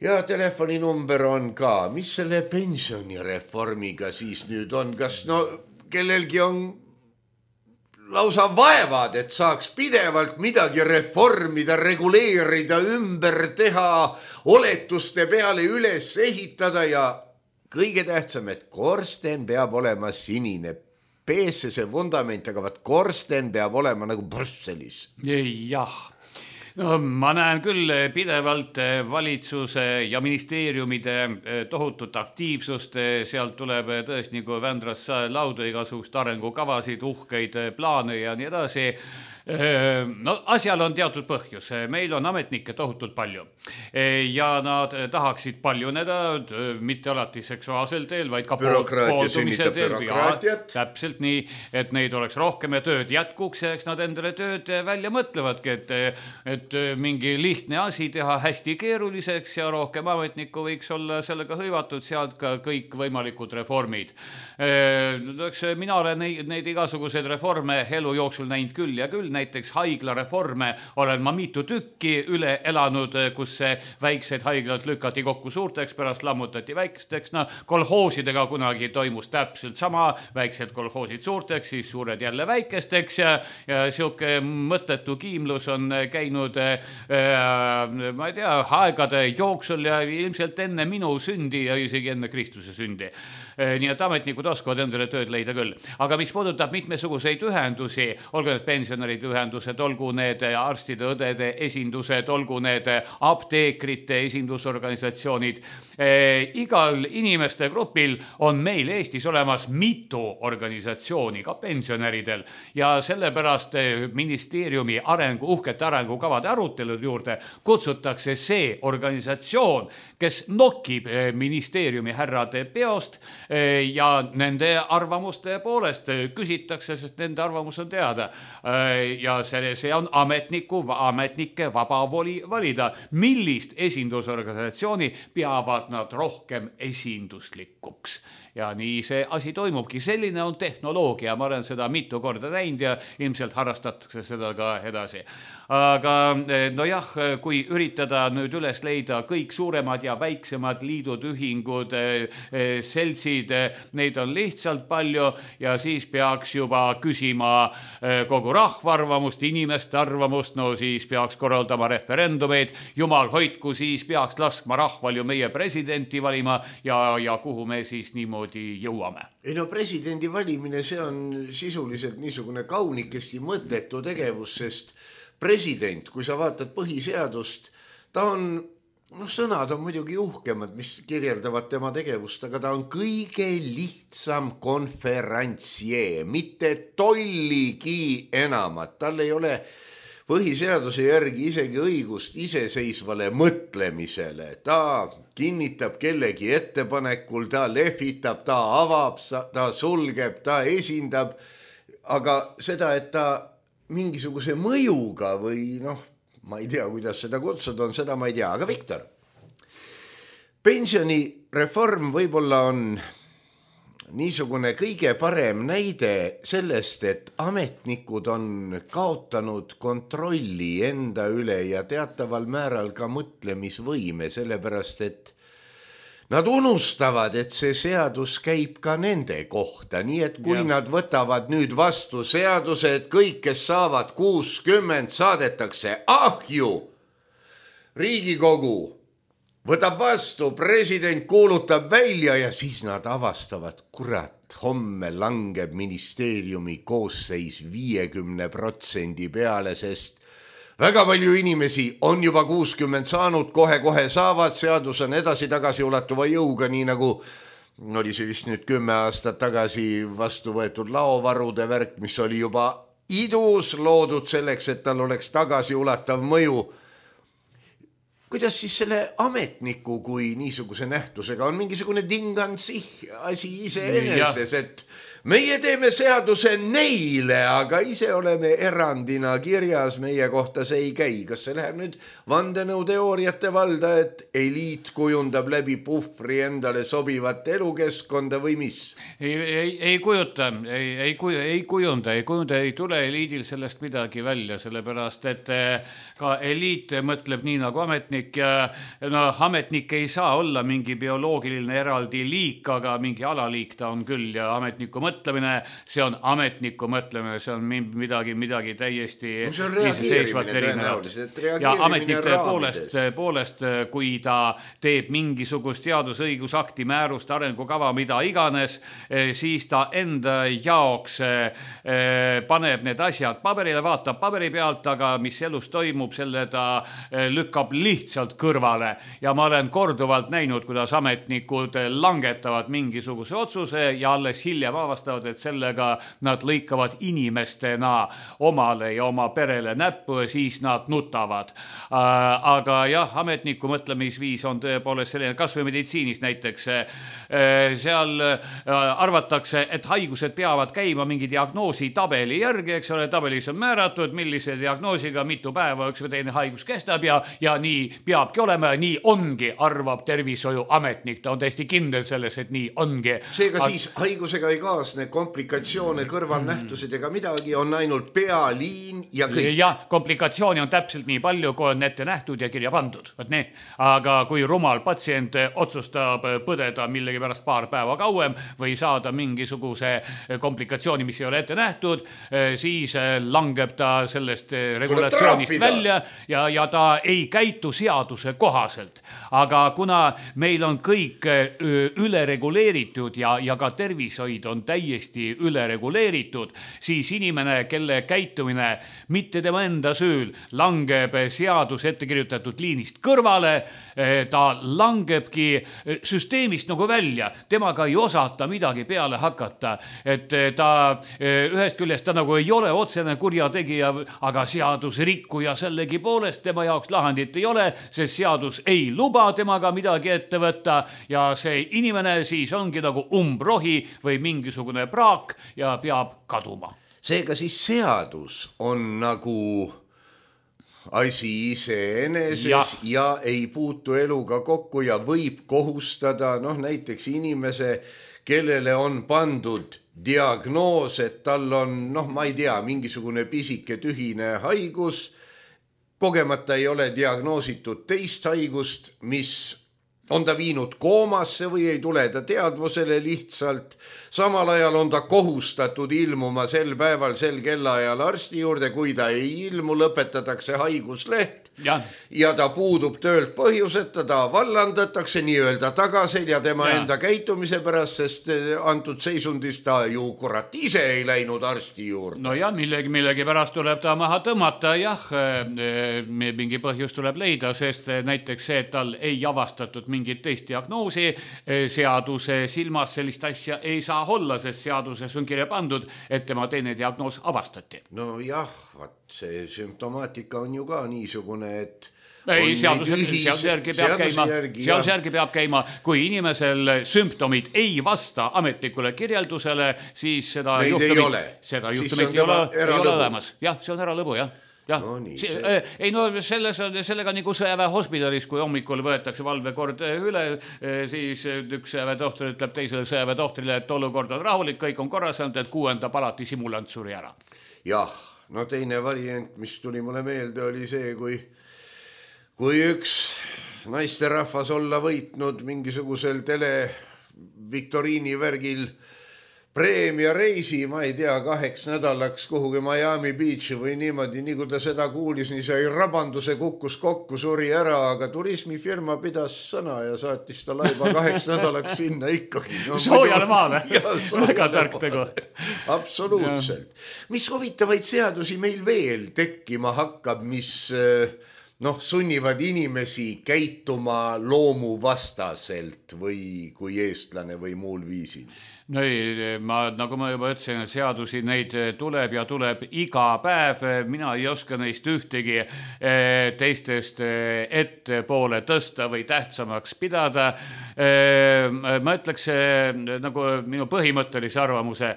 ja telefoninumber on ka. Mis selle pensionireformiga siis nüüd on? Kas no kellelgi on lausa vaevad, et saaks pidevalt midagi reformida, reguleerida, ümber teha, oletuste peale üles ehitada ja kõige tähtsam, et korsten peab olema sinine. Peesse see vundament, aga vaat korsten peab olema nagu Brüsselis. Jah. No, ma näen küll pidevalt valitsuse ja ministeeriumide tohutut aktiivsust, sealt tuleb tõesti nagu Vändras lauda igasugust arengukavasid, uhkeid plaane ja nii edasi. No asjal on teatud põhjus, meil on ametnikke tohutult palju ja nad tahaksid paljuneda, mitte alati seksuaalsel teel, vaid ka pooldumise teel. Täpselt nii, et neid oleks rohkem ja tööd jätkuks ja eks nad endale tööd välja mõtlevadki, et, et mingi lihtne asi teha hästi keeruliseks ja rohkem ametnikku võiks olla sellega hõivatud, sealt ka kõik võimalikud reformid. Mina olen neid, neid igasuguseid reforme elu jooksul näinud küll ja küll, näiteks haiglareforme olen ma mitu tükki üle elanud, kus väikseid haiglad lükati kokku suurteks, pärast lammutati väikesteks. No, kolhoosidega kunagi toimus täpselt sama, väiksed kolhoosid suurteks, siis suured jälle väikesteks ja, ja siuke mõttetu kiimlus on käinud äh, ma ei tea, aegade jooksul ja ilmselt enne minu sündi ja isegi enne Kristuse sündi. Nii et ametnikud oskavad endale tööd leida küll. Aga mis puudutab mitmesuguseid ühendusi, olgu need pensionäride ühendused, olgu need arstide, õdede esindused, olgu need apteekrite esindusorganisatsioonid, eh, igal inimeste grupil on meil Eestis olemas mitu organisatsiooni, ka pensionäridel, ja sellepärast ministeeriumi arengu, uhkete arengukavade arutelud juurde kutsutakse see organisatsioon, kes nokib ministeeriumi härrade peost ja nende arvamuste poolest küsitakse, sest nende arvamus on teada. Ja see, see on ametniku, ametnike vaba voli valida, millist esindusorganisatsiooni peavad nad rohkem esinduslikuks. Ja nii see asi toimubki. Selline on tehnoloogia. Ma olen seda mitu korda näinud ja ilmselt harrastatakse seda ka edasi. Aga no jah, kui üritada nüüd üles leida kõik suuremad ja väiksemad liidud, ühingud, seltsid, neid on lihtsalt palju ja siis peaks juba küsima kogu rahva arvamust, inimeste arvamust, no siis peaks korraldama referendumeid, jumal hoidku, siis peaks laskma rahval ju meie presidenti valima ja, ja kuhu me siis niimoodi jõuame. Ei no presidendi valimine, see on sisuliselt niisugune kaunikesti mõttetu tegevus, sest president, kui sa vaatad põhiseadust, ta on, noh, sõnad on muidugi uhkemad, mis kirjeldavad tema tegevust, aga ta on kõige lihtsam konferentsjee, mitte tolligi enamat. Tal ei ole põhiseaduse järgi isegi õigust iseseisvale mõtlemisele. Ta kinnitab kellegi ettepanekul, ta lehvitab, ta avab, ta sulgeb, ta esindab, aga seda, et ta mingisuguse mõjuga või noh, ma ei tea, kuidas seda kutsuda on, seda ma ei tea. Aga Viktor, pensionireform võib-olla on niisugune kõige parem näide sellest, et ametnikud on kaotanud kontrolli enda üle ja teataval määral ka mõtlemisvõime, sellepärast et nad unustavad, et see seadus käib ka nende kohta, nii et kui ja. Nad võtavad nüüd vastu seaduse, et kõik, kes saavad kuuskümmend, saadetakse ahju. Riigikogu võtab vastu, president kuulutab välja ja siis nad avastavad, kurat, homme langeb ministeeriumi koosseis viiekümne protsendi peale, sest väga palju inimesi on juba kuuskümmend saanud, kohe-kohe saavad, seadus on edasi-tagasi ulatuva jõuga, nii nagu oli see vist nüüd kümme aastat tagasi vastu võetud laovarude värk, mis oli juba idus loodud selleks, et tal oleks tagasi ulatav mõju. kuidas siis selle ametniku kui niisuguse nähtusega on mingisugune dingansih asi iseeneses, et meie teeme seaduse neile, aga ise oleme erandina kirjas, meie kohta see ei käi. Kas see läheb nüüd vandenõuteooriate valda, et eliit kujundab läbi puhvri endale sobivat elukeskkonda või mis? Ei, ei, ei kujuta, ei, ei, kuju, ei kujunda, ei kujunda, ei tule eliidil sellest midagi välja, sellepärast, et ka eliit mõtleb nii nagu ametnik ja no, ametnik ei saa olla mingi bioloogiline eraldi liik, aga mingi alaliik ta on küll ja ametniku mõtlemine see on ametniku mõtlemine, see on midagi, midagi täiesti no iseseisvat erinevat. Ja ametnike poolest, poolest, kui ta teeb mingisugust seadusõigusakti, määrust, arengukava, mida iganes, siis ta enda jaoks paneb need asjad paberile, vaatab paberi pealt, aga mis elus toimub, selle ta lükkab lihtsalt kõrvale. Ja ma olen korduvalt näinud, kuidas ametnikud langetavad mingisuguse otsuse ja alles hiljem avastavad, et sellega nad lõikavad inimestena omale ja oma perele näppu ja siis nad nutavad. Aga jah, ametniku mõtlemisviis on tõepoolest selline, kas või meditsiinis näiteks. Seal arvatakse, et haigused peavad käima mingi diagnoosi tabeli järgi, eks ole, tabelis on määratud, millise diagnoosiga mitu päeva üks või teine haigus kestab ja, ja nii peabki olema ja nii ongi, arvab tervishoiu ametnik. Ta on täiesti kindel selles, et nii ongi. Seega Ag... siis haigusega ei kaasne komplikatsioone, kõrvalnähtused ega midagi, on ainult pealiin ja kõik. Jah, komplikatsiooni on täpselt nii palju, kui on ette nähtud ja kirja pandud. Nii. Aga kui rumal patsient otsustab põdeda millegi pärast paar päeva kauem või saada mingisuguse komplikatsiooni, mis ei ole ette nähtud, siis langeb ta sellest regulatsioonist välja ja, ja ta ei käitu seaduse kohaselt. Aga kuna meil on kõik ülereguleeritud ja, ja ka tervishoid on täiesti ülereguleeritud, siis inimene, kelle käitumine mitte tema enda süül langeb seadus ette kirjutatud liinist kõrvale, ta langebki süsteemist nagu välja. Temaga ei osata midagi peale hakata. Et ta ühest küljest ta nagu ei ole otsene kurjategija, aga seadus rikkuja sellegi poolest tema jaoks lahendit ei ole, sest seadus ei luba temaga midagi ette võtta ja see inimene siis ongi nagu umbrohi või mingisugune praak ja peab kaduma. Seega siis seadus on nagu asi iseeneses ja. ja ei puutu eluga kokku ja võib kohustada noh, näiteks inimese, kellele on pandud diagnoos, et tal on, noh, ma ei tea, mingisugune pisike tühine haigus, kogemata ei ole diagnoositud teist haigust, mis on ta viinud koomasse või ei tule ta teadvusele lihtsalt. Samal ajal on ta kohustatud ilmuma sel päeval, sel kellaajal arsti juurde, kui ta ei ilmu, lõpetatakse haigusleht. Ja. ja ta puudub töölt põhjuseta, ta vallandatakse nii-öelda tagasi ja tema ja. enda käitumise pärast, sest antud seisundis ta ju kurat ise ei läinud arsti juurde. No ja millegi, millegi pärast tuleb ta maha tõmmata, jah, mingi põhjus tuleb leida, sest näiteks see, et tal ei avastatud mingit teist diagnoosi, seaduse silmas sellist asja ei saa olla, sest seaduses on kirja pandud, et tema teine diagnoos avastati. No jah, vaat see sümptomaatika on ju ka niisugune, et ei, seaduse järgi peab käima, seaduse järgi peab käima, kui inimesel sümptomid ei vasta ametlikule kirjeldusele, siis seda Neid juhtumit, ei ole, seda juhtumit ei ole, ei ole olemas. Jah, see onäralõbu, jah. Ja. No, nii, see... ei no selles on sellega nagu sõjaväe hospitalis, kui hommikul võetakse valvekord üle, siis üks sõjaväetohter ütleb teisele sõjaväetohtrile, et olukord on rahulik, kõik on korras, et kuuenda palati simulant suri ära. Jah, no teine variant, mis tuli mulle meelde, oli see, kui kui üks naisterahvas olla võitnud mingisugusel televiktoriini värgil preemia reisi, ma ei tea, kaheks nädalaks kuhugi Miami Beachi või niimoodi, nii kui ta seda kuulis, nii sai rabanduse, kukkus kokku, suri ära, aga turismifirma pidas sõna ja saatis ta laiba kaheks nädalaks sinna ikkagi. No, soojale maale, väga tark tegu. Absoluutselt. Ja. Mis huvitavaid seadusi meil veel tekkima hakkab, mis noh, sunnivad inimesi käituma loomu vastaselt või kui eestlane või muul viisil? No ei, ma, nagu ma juba ütlesin, seadusi neid tuleb ja tuleb iga päev, mina ei oska neist ühtegi teistest ettepoole tõsta või tähtsamaks pidada. Ma ütleks nagu minu põhimõttelise arvamuse,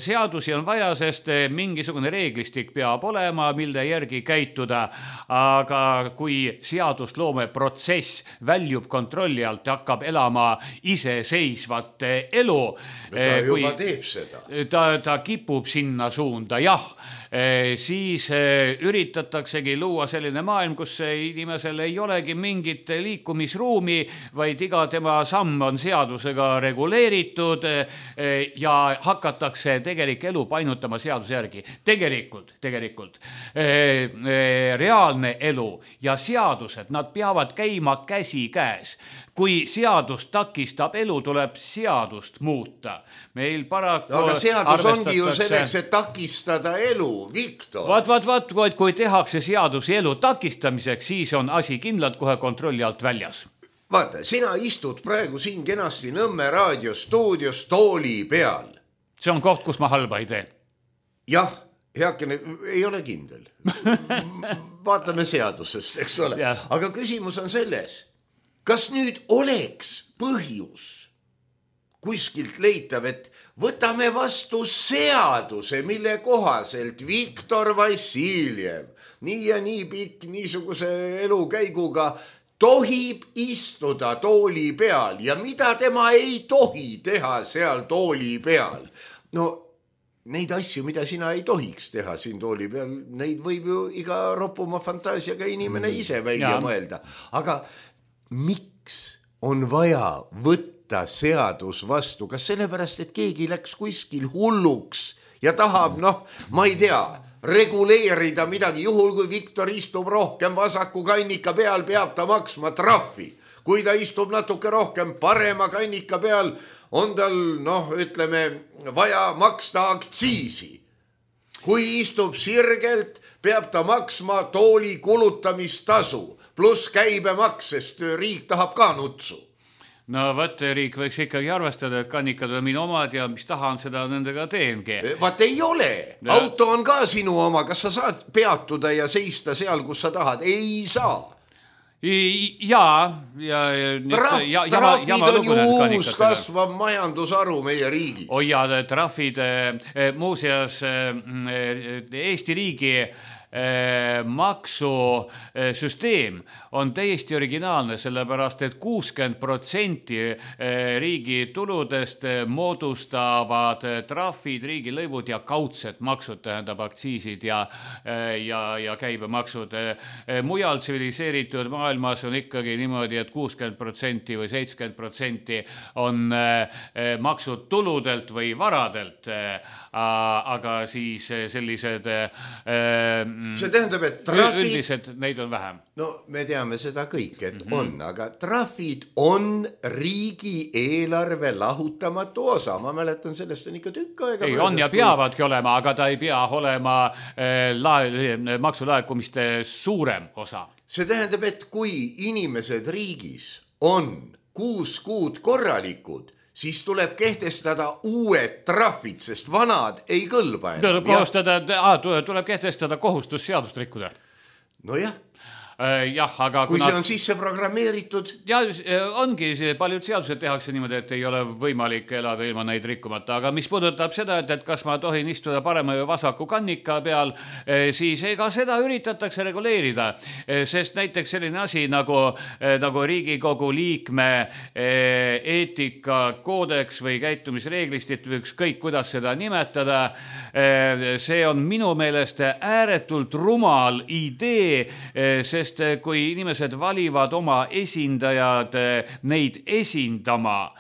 seadusi on vaja, sest mingisugune reeglistik peab olema, mille järgi käituda, aga kui seadusloome protsess väljub kontrolli alt ja hakkab elama iseseisvat elu, ta juba kui, teeb seda. Ta, ta kipub sinna suunda, jah, siis üritataksegi luua selline maailm, kus inimesel ei olegi mingit liikumisruumi, vaid iga tema samm on seadusega reguleeritud ja hakatakse tegelik elu painutama seaduse järgi. Tegelikult, tegelikult reaalne elu ja seadused, nad peavad käima käsi käes. Kui seadus takistab elu, tuleb seadust muuta. Meil paraku no, aga seadus ongi ju selleks, et takistada elu, Viktor. Vaat, vaat, vaat, vaat, kui tehakse seadusi elu takistamiseks, siis on asi kindlalt kohe kontrolli alt väljas. Vaata, sina istud praegu siin kenasti Nõmme raadiostuudios tooli peal. See on koht, kus ma halba ei tee. Jah, heakene, ei ole kindel. Vaatame seadusest, eks ole. Ja. Aga küsimus on selles, kas nüüd oleks põhjus kuskilt leitav, et võtame vastu seaduse, mille kohaselt Viktor Vassiljev nii ja nii pikk niisuguse elukäiguga tohib istuda tooli peal ja mida tema ei tohi teha seal tooli peal. No neid asju, mida sina ei tohiks teha siin tooli peal, neid võib ju iga ropuma fantaasiaga inimene ise välja ja. mõelda. Aga miks on vaja võtta seadus vastu? Kas sellepärast, et keegi läks kuskil hulluks ja tahab, noh, ma ei tea, reguleerida midagi, juhul kui Viktor istub rohkem vasaku kannika peal, peab ta maksma trahvi. Kui ta istub natuke rohkem parema kannika peal, on tal, noh, ütleme, vaja maksta aktsiisi. Kui istub sirgelt, peab ta maksma tooli kulutamistasu, pluss käibemaks, sest riik tahab ka nutsu. No võt, riik võiks ikkagi arvestada, et kannikad on minu omad ja mis tahan, seda nendega teengi. Vaat ei ole. Ja. Auto on ka sinu oma. Kas sa saad peatuda ja seista seal, kus sa tahad? Ei saa. Jaa. Ja, Traf, ja, trafid jama, on ju uus kasvav majandusaru meie riigis. Oi ja, trafid, muuseas Eesti riigi maksusüsteem on täiesti originaalne, sellepärast, et kuuskümmend protsenti riigi tuludest moodustavad trahvid, riigilõivud ja kaudsed maksud, tähendab aktsiisid ja, ja, ja käibemaksud. Mujal tsiviliseeritud maailmas on ikkagi niimoodi, et kuuskümmend protsenti või seitsekümmend protsenti on maksud tuludelt või varadelt, aga siis sellised see tähendab, et trahvid... Üldiselt neid on vähem. No me teame seda kõik, et mm-hmm. on, aga trahvid on riigi eelarve lahutamatu osa. Ma mäletan, sellest on ikka tükk aega. Ei, on ja peavadki olema, aga ta ei pea olema äh, la- maksulaekumiste suurem osa. See tähendab, et kui inimesed riigis on kuus kuud korralikud, siis tuleb kehtestada uued trahvid, sest vanad ei kõlba enam. Tuleb, kohustada, ah, tuleb kehtestada kohustus seadust rikkuda. No jah. Jah, aga kui kuna... see on sisse programmeeritud. Ja ongi, paljud seadused tehakse niimoodi, et ei ole võimalik elada ilma neid rikkumata, aga mis puudutab seda, et, et kas ma tohin istuda parema või vasaku kannika peal, siis ega seda üritatakse reguleerida, sest näiteks selline asi nagu, nagu Riigikogu liikme eetikakoodeks või käitumisreeglistit või ükskõik, kuidas seda nimetada, see on minu meelest ääretult rumal idee, sest sest kui inimesed valivad oma esindajad neid esindama,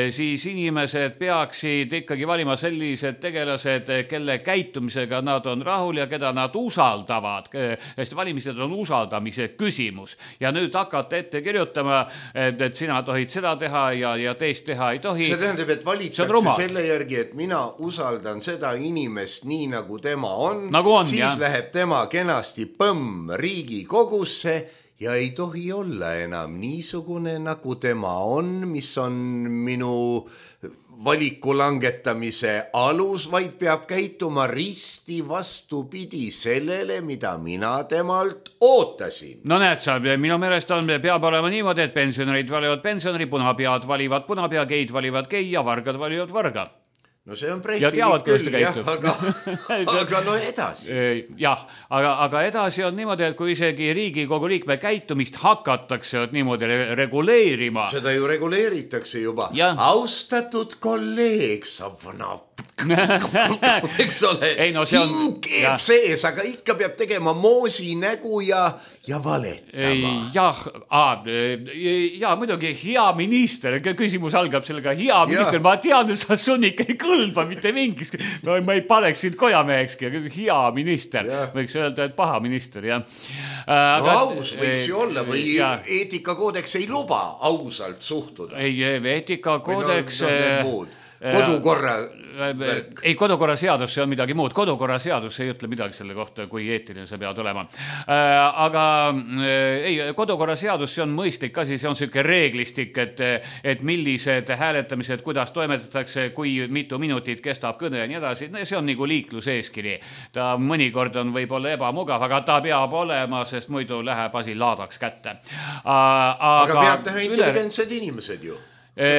siis inimesed peaksid ikkagi valima sellised tegelased, kelle käitumisega nad on rahul ja keda nad usaldavad. Sest valimised on usaldamise küsimus. Ja nüüd hakata ette kirjutama, et sina tohid seda teha ja, ja teist teha ei tohi. See tähendab, et valitakse selle järgi, et mina usaldan seda inimest nii, nagu tema on. Nagu on, siis jah. Läheb tema kenasti põmm Riigikogusse ja ei tohi olla enam niisugune, nagu tema on, mis on minu valiku langetamise alus, vaid peab käituma risti vastupidi sellele, mida mina temalt ootasin. No näed sa, minu meelest on, peab olema niimoodi, et pensionerid valivad pensioneri, punapead valivad punapea, geid valivad gei ja vargad valivad varga. No see on prehtilik küll, jah, aga, aga no edasi. Jah, aga, aga edasi on niimoodi, et kui isegi Riigikogu liikme käitumist hakatakse niimoodi reguleerima. Seda ju reguleeritakse juba. Ja. Austatud kolleeg, sa vana eks ole, ei, no see on, hing keeb sees, aga ikka peab tegema moosi nägu ja, ja valetama. Jah, ja muidugi hea minister, küsimus algab sellega, hea minister, ja. Ma tean, et sa sunnik ei kõlba mitte mingis, no, ma ei paneks sind kojamehekski, hea minister, ja. Võiks öelda, et paha minister, jah. Aga, no aus võiks ju olla või ja. Eetikakoodeks ei luba ausalt suhtuda. Ei, eetikakoodeks... No, kodukorra värk. Ei, kodukorra seadus, see on midagi muud. Kodukorra seadus ei ütle midagi selle kohta, kui eetiline sa pead olema. Aga ei, kodukorra seadus, see on mõistlik asi, see on selline reeglistik, et, et millised hääletamised, kuidas toimetatakse, kui mitu minutit kestab kõne ja nii edasi. See on nagu liikluseeskiri. Ta mõnikord on võib-olla ebamugav, aga ta peab olema, sest muidu läheb asi laadaks kätte. Aga, aga peab teha intelligentsed inimesed ju. Ei,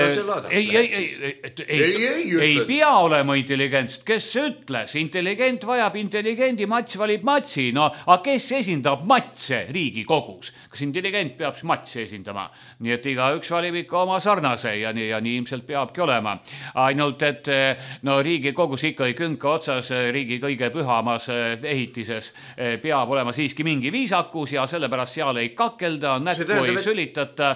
ei, ei, ei, ei, ei pea olema intelligentst, kes ütles, intelligent vajab intelligendi, mats valib matsi, no aga kes esindab matse Riigikogus, kas intelligent peab matsi esindama, nii et iga üks valib ikka oma sarnase ja nii, ja nii ilmselt peabki olema, ainult et no Riigikogus ikka ei künka otsas riigi kõige pühamas ehitises peab olema siiski mingi viisakus ja sellepärast seal ei kakelda, nätku ei sülitata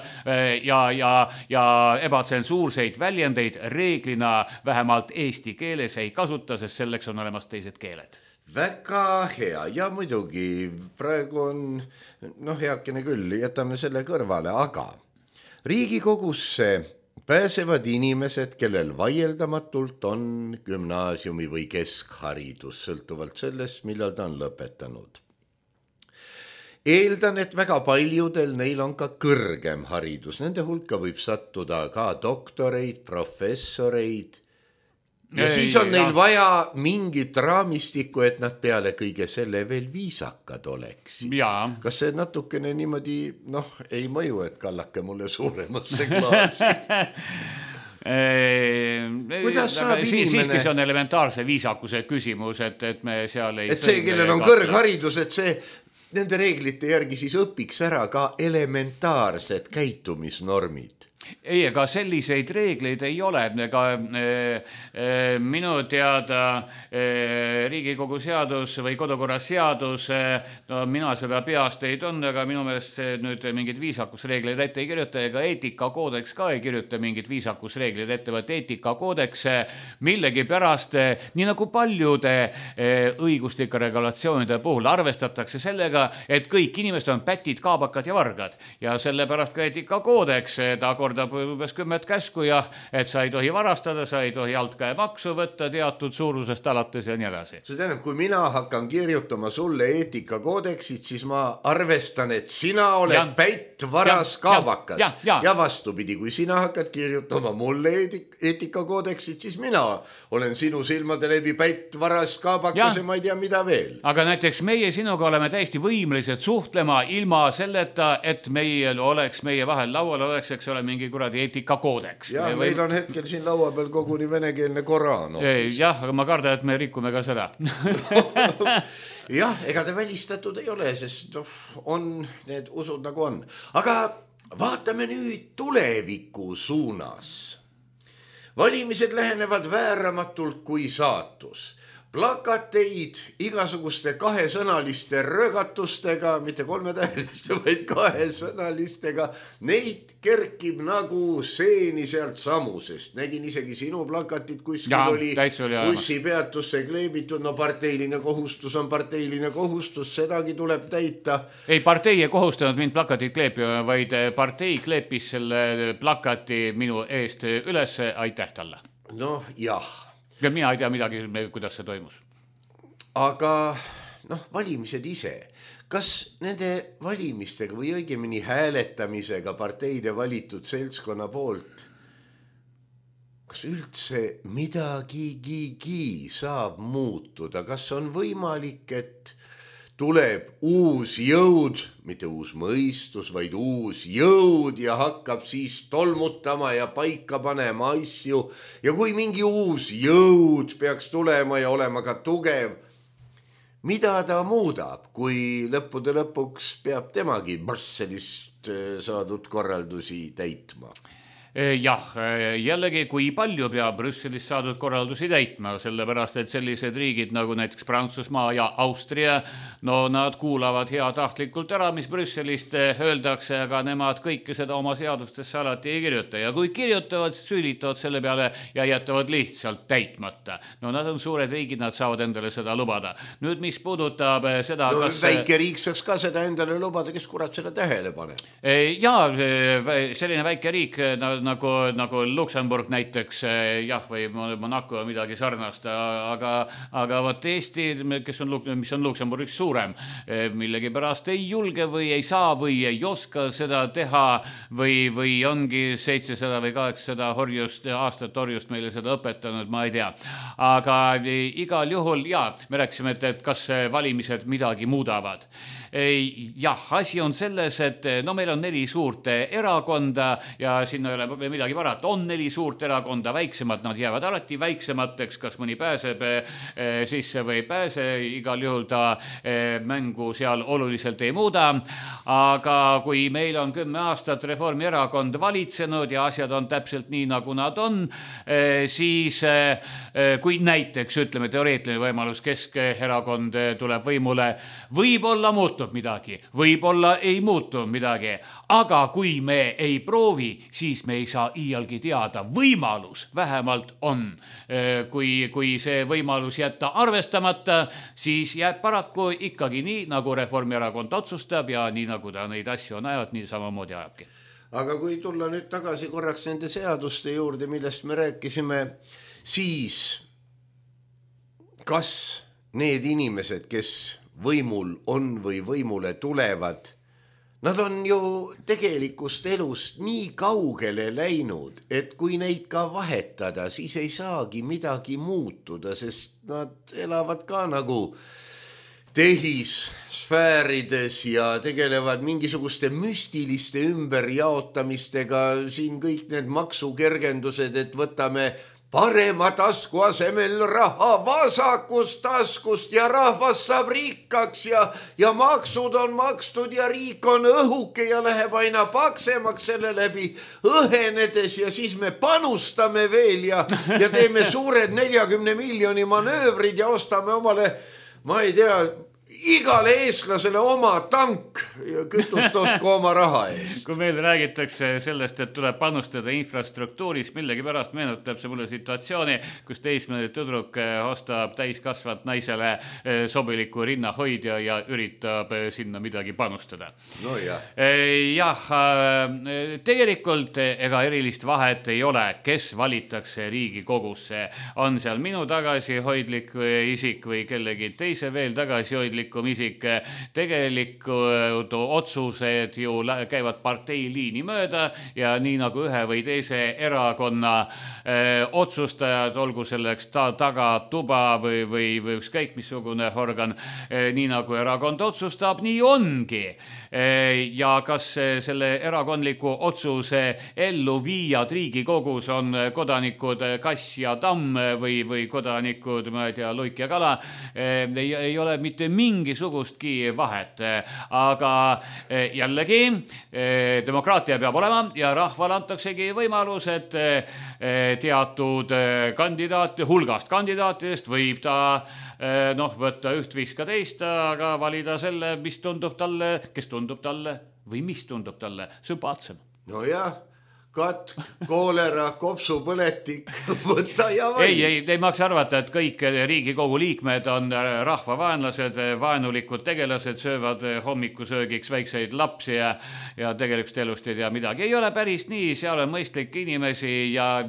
ja, ja, ja ebatsensuurseid väljendeid reeglina vähemalt eesti keeles ei kasuta, sest selleks on olemas teised keeled. Väga hea ja muidugi praegu on, noh heakene küll, jätame selle kõrvale, aga Riigikogusse pääsevad inimesed, kellel vaieldamatult on gümnaasiumi või keskharidus, sõltuvalt sellest, millal ta on lõpetanud. Eeldan, et väga paljudel neil on ka kõrgem haridus. Nende hulka võib sattuda ka doktoreid, professoreid. Ja ei, siis on neil ja. Vaja mingit raamistikku, et nad peale kõige selle veel viisakad oleks. Kas see natukene niimoodi, noh, ei mõju, et kallake mulle suuremasse klaasi? Kuidas saab si- inimene... Siiski see on elementaarse viisakuse küsimus, et, et me seal ei... Et see, kellel on kõrgharidus, et see... Nende reeglite järgi siis õpiks ära ka elementaarsed käitumisnormid. Ei, ega selliseid reegleid ei ole, ega e, e, minu teada e, Riigikogu seadus või kodukorra seadus, e, no mina seda peast ei tunne, aga minu meelest nüüd mingid viisakusreegleid ette ei kirjuta, ega eetikakoodeks ka ei kirjuta mingid viisakusreegleid ette, vaid eetikakoodeks millegi pärast, nii nagu paljude e, õiguslike regulatsioonide puhul arvestatakse sellega, et kõik inimesed on pätid, kaabakad ja vargad ja sellepärast ka eetikakoodeks ta kord umbes kümmet käsku ja et sa ei tohi varastada, sa ei tohi alt käe maksu võtta teatud suurusest alates ja nii edasi. See tähendab, kui mina hakkan kirjutama sulle eetikakoodeksit, siis ma arvestan, et sina oled ja, pätt, varas, ja, kaabakas. Ja, ja, ja. ja vastupidi, kui sina hakkad kirjutama mulle eetik- eetikakoodeksit, siis mina olen sinu silmade läbi pätt, varas, kaabakas ja, ja ma ei tea mida veel. Aga näiteks meie sinuga oleme täiesti võimelised suhtlema ilma selleta, et meil oleks meie vahel laual oleks, eks ole, mingi kuradi eetikakoodeks. Ja me meil või... on hetkel siin laua peal koguni venekeelne Koraan. Jah, aga ma kardan, et me rikume ka seda. Jah, ega te välistatud ei ole, sest on need usud nagu on. Aga vaatame nüüd tuleviku suunas. Valimised lähenevad vääramatult kui saatus. Plakateid igasuguste kahesõnaliste röögatustega, mitte kolmetäheliste, vaid kahesõnalistega, neid kerkib nagu seeni sealt samusest. Nägin isegi sinu plakatit, kuskil ja, oli bussipeatusse kleebitud, no parteiline kohustus on parteiline kohustus, sedagi tuleb täita. Ei, partei ei kohustanud mind plakatit kleepima, vaid partei kleepis selle plakati minu eest üles, aitäh talle. Noh, jah. Ja mina ei tea midagi, kuidas see toimus. Aga noh, valimised ise. Kas nende valimistega või õigemini hääletamisega parteide valitud seltskonna poolt, kas üldse midagigi saab muutuda, kas on võimalik, et tuleb uus jõud, mitte uus mõistus, vaid uus jõud ja hakkab siis tolmutama ja paika panema asju ja kui mingi uus jõud peaks tulema ja olema ka tugev, mida ta muudab, kui lõppude lõpuks peab temagi Brüsselist saadud korraldusi täitma? Jah, jällegi, kui palju peab Brüsselist saadud korraldusi täitma, sellepärast, et sellised riigid nagu näiteks Prantsusmaa ja Austria, no nad kuulavad heatahtlikult ära, mis Brüsselist öeldakse, aga nemad kõike seda oma seadustesse alati ei kirjuta ja kui kirjutavad, süüditavad selle peale ja jätavad lihtsalt täitmata. No nad on suured riigid, nad saavad endale seda lubada. Nüüd, mis puudutab seda, no, kas... väike riik saaks ka seda endale lubada, kes kurat seda tähele pane? Jaa, selline väike riik, nagu, nagu Luksemburg näiteks, jah, või Monaco midagi sarnast, aga, aga võt Eesti, kes on, mis on Luksemburgis suurem, millegi pärast ei julge või ei saa või ei oska seda teha või, või ongi seitsesada või kaheksasada horjust, aastat horjust meile seda õpetanud, ma ei tea. Aga igal juhul, jaa, me rääkisime, et, et kas valimised midagi muudavad. Jah, asi on selles, et no meil on neli suurt erakonda ja sinna ei ole midagi varat. On neli suurt erakonda, väiksemad, nad jäävad alati väiksemateks, kas mõni pääseb sisse või ei pääse, igal juhul ta mängu seal oluliselt ei muuda. Aga kui meil on kümme aastat Reformierakond valitsenud ja asjad on täpselt nii, nagu nad on, siis kui näiteks, ütleme, teoreetiline võimalus Keskerakond tuleb võimule, võib-olla muutub midagi, võib-olla ei muutu midagi, aga kui me ei proovi, siis me ei saa iialgi teada. Võimalus vähemalt on. Kui, kui see võimalus jätta arvestamata, siis jääb paraku ikkagi nii, nagu Reformierakond otsustab ja nii, nagu ta neid asju on ajavad, nii samamoodi ajabki. Aga kui tulla nüüd tagasi korraks nende seaduste juurde, millest me rääkisime, siis kas need inimesed, kes võimul on või võimule tulevad, nad on ju tegelikust elust nii kaugele läinud, et kui neid ka vahetada, siis ei saagi midagi muutuda, sest nad elavad ka nagu tehisfäärides ja tegelevad mingisuguste müstiliste ümberjaotamistega, siin kõik need maksukergendused, et võtame parema tasku asemel raha vasakust taskust ja rahvas saab rikkaks ja, ja maksud on makstud ja riik on õhuke ja läheb aina paksemaks selle läbi õhenedes ja siis me panustame veel ja, ja teeme suured neljakümne miljoni manöövrid ja ostame omale, ma ei tea, igale eestlasele oma tank ja kütust ostku oma raha eest. Kui meil räägitakse sellest, et tuleb panustada infrastruktuuris, millegi pärast meenutab see mulle situatsiooni, kus teismeline tüdruk ostab täiskasvat naisele sobiliku rinnahoidja ja üritab sinna midagi panustada. No jah. Jah, tegelikult ega erilist vahet ei ole, kes valitakse Riigikogusse. On seal minu tagasihoidlik isik või kellegi teise veel tagasihoidlik isik, tegelikud otsused ju käivad parteiliini mööda ja nii nagu ühe või teise erakonna öö, otsustajad, olgu selleks ta, taga tuba või, või, või ükskõik missugune organ, nii nagu erakond otsustab, nii ongi. Ja kas selle erakondliku otsuse ellu viijad Riigikogus on kodanikud Kass ja Tamm või, või kodanikud, ma ei tea, Luik ja Kala, ei, ei ole mitte mingisugustki vahet. Aga jällegi demokraatia peab olema ja rahval antaksegi võimalus, et teatud kandidaat, hulgast kandidaatidest võib ta noh, võtta üht viska teist, aga valida selle, mis tundub talle, kes tundub talle või mis tundub talle sümpaatsem. No jah, katk, koolera, kopsupõletik, võtta ja vali. Ei, ei, ei maksa arvata, et kõik Riigikogu liikmed on rahvavaenlased, vaenulikud tegelased, söövad hommikusöögiks väikseid lapsi ja, ja tegelikult elust ei tea midagi. Ei ole päris nii, seal on mõistlik inimesi ja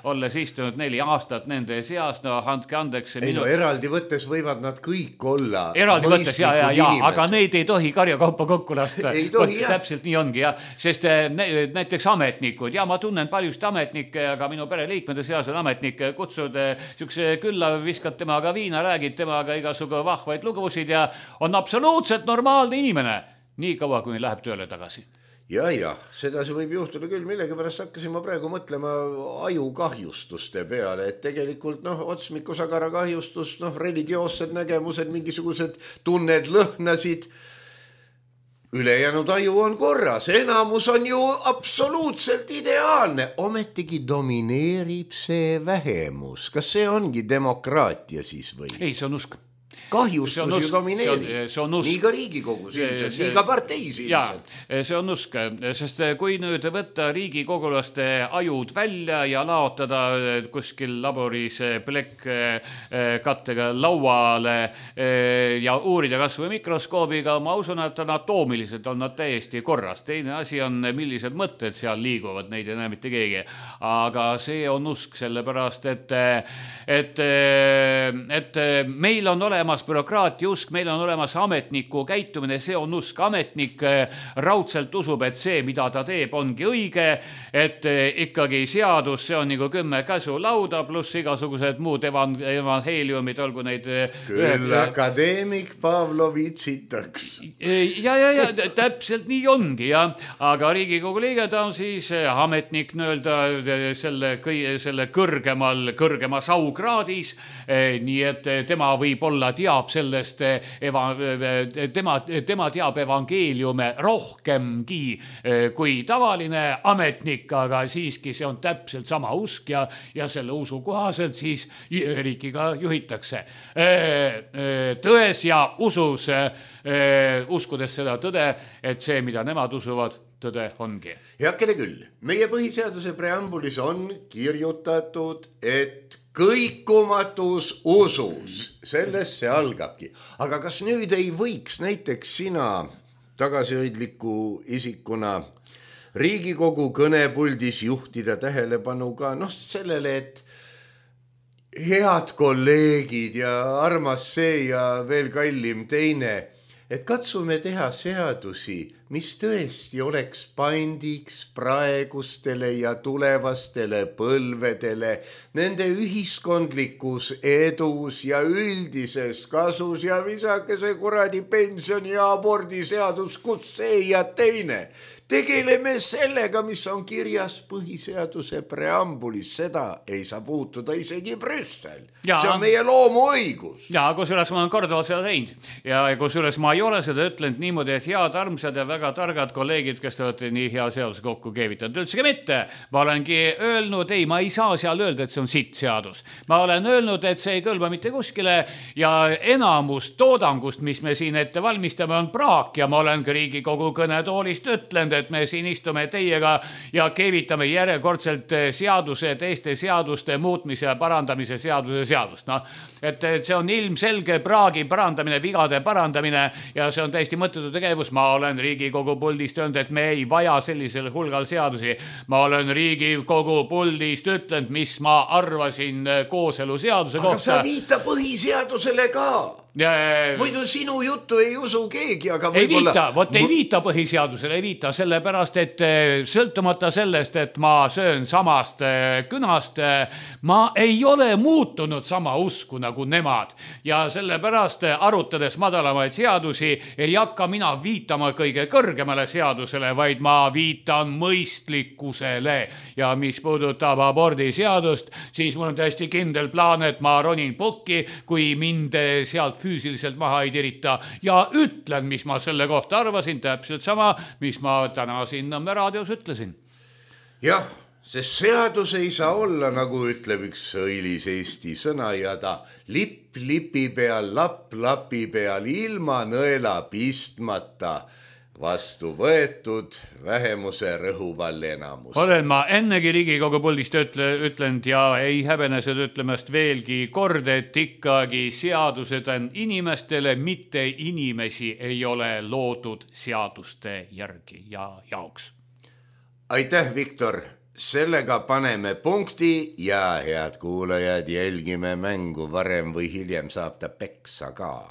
olles istunud neli aastat nende seas, no andke andeks. Ei minu... no eraldi võttes võivad nad kõik olla eraldi võttes, ja, ja, ja, aga neid ei tohi karjakaupa kokku lasta. Ei tohi, jah. Täpselt nii ongi, jah, sest näiteks ametnikud ametnikud ja ma tunnen paljust ametnikke, aga minu pereliikmete seas on ametnikke, kutsud siukse külla, viskad temaga viina, räägid temaga igasugu vahvaid lugusid ja on absoluutselt normaalne inimene, nii kaua kui läheb tööle tagasi. Ja, ja, seda see võib juhtuda küll, millegi pärast hakkasin ma praegu mõtlema ajukahjustuste peale, et tegelikult noh, otsmikusagara kahjustus, noh, religioossed nägemused, mingisugused tunned, lõhnasid, ülejäänud aju on korras, enamus on ju absoluutselt ideaalne, ometigi domineerib see vähemus. Kas see ongi demokraatia siis või? Ei, see on usk. Kahjustus ju domineerib. Nii ka Riigikogus ilmselt, nii ka parteis ilmselt. Ja, see on usk, sest kui nüüd võtta riigikogulaste ajud välja ja laotada kuskil laboris plekk kattega lauale ja uurida kas või mikroskoobiga, ma usun, et anatoomiliselt on nad täiesti korras. Teine asi on, millised mõtted seal liiguvad, neid ei näe mitte keegi. Aga see on usk sellepärast, et, et, et meil on olemas bürokraatia usk, meil on olemas ametniku käitumine, see on usk. Ametnik raudselt usub, et see, mida ta teeb, ongi õige, et ikkagi seadus, see on nagu kümme käsu lauda, pluss igasugused muud evan, evanheeliumid, olgu neid... Küll ühe... akadeemik Pavlovitsitaks. Ja, ja, ja, täpselt nii ongi, ja. Aga Riigikogu liige ta on siis ametnik nõelda selle, selle kõrgemal, kõrgemas aukraadis, nii et tema võib olla teab sellest, eva, tema, tema teab evangeeliume rohkemgi kui tavaline ametnik, aga siiski see on täpselt sama usk ja, ja selle usu kohaselt siis riikiga juhitakse. Tões ja usus, uskudes seda tõde, et see, mida nemad usuvad, tõde ongi. Heakene küll, meie põhiseaduse preambulis on kirjutatud, et kõikumatus usus, sellest see algabki. Aga kas nüüd ei võiks näiteks sina tagasihoidliku isikuna Riigikogu kõnepuldis juhtida tähelepanu ka noh, sellele, et head kolleegid ja armas see ja veel kallim teine, et katsume teha seadusi, mis tõesti oleks pandiks praegustele ja tulevastele põlvedele, nende ühiskondlikus edus ja üldises kasus ja visake see kuradi pensioni ja abordiseadus, kus see ja teine. Tegeleme sellega, mis on kirjas põhiseaduse preambulis, seda ei saa puutuda isegi Brüssel. Ja, see on meie loomuõigus. Ja, kusjuures ma olen korduvalt seda teinud. Ja kusjuures ma ei ole seda ütlenud niimoodi, et head armsad ja väga targad kolleegid, kes te olete nii hea seadus kokku keevitanud. Üldsegi mitte. Ma olengi öelnud, ei, ma ei saa seal öelda, et see on sitt seadus. Ma olen öelnud, et see ei kõlba mitte kuskile ja enamus toodangust, mis me siin ette valmistame, on praak ja ma olen Riigikogu kõnetoolist ütlenud, et me siin istume teiega ja keevitame järjekordselt seaduse, teiste seaduste muutmise ja parandamise seaduse seadust. No, et, et see on ilmselge praagi parandamine, vigade parandamine ja see on täiesti mõttetu tegevus. Ma olen Riigikogu puldist öelnud, et me ei vaja sellisel hulgal seadusi. Ma olen Riigikogu puldist ütlenud, mis ma arvasin kooselu seaduse kohta. Aga sa viita põhiseadusele ka. Ja, muidu sinu juttu ei usu keegi, aga ei võib-olla... viita, võt ei viita põhiseadusele, ei viita sellepärast, et sõltumata sellest, et ma söön samast künast, ma ei ole muutunud sama usku nagu nemad ja sellepärast arutades madalamaid seadusi ei hakka mina viitama kõige kõrgemale seadusele, vaid ma viitan mõistlikkusele ja mis puudutab abordiseadust, siis mul on täiesti kindel plaan, et ma ronin pukki, kui mind sealt füüsiliselt maha ei tirita ja ütlen, mis ma selle kohta arvasin, täpselt sama, mis ma täna siin Nõmme raadios ütlesin. Jah, sest seadus ei saa olla, nagu ütleb üks õilis eesti sõna ja ta lipp lipi peal, lapp lapi peal, ilma nõela pistmata vastu võetud vähemuse rõhuval enamus. Olen ma ennegi Riigikogu puldist ütle, ütlenud ja ei häbene seda ütlemast veelgi kord, et ikkagi seadused on inimestele, mitte inimesi ei ole loodud seaduste järgi ja jaoks. Aitäh, Viktor! Sellega paneme punkti ja head kuulajad, jälgime mängu, varem või hiljem saab ta peksa ka.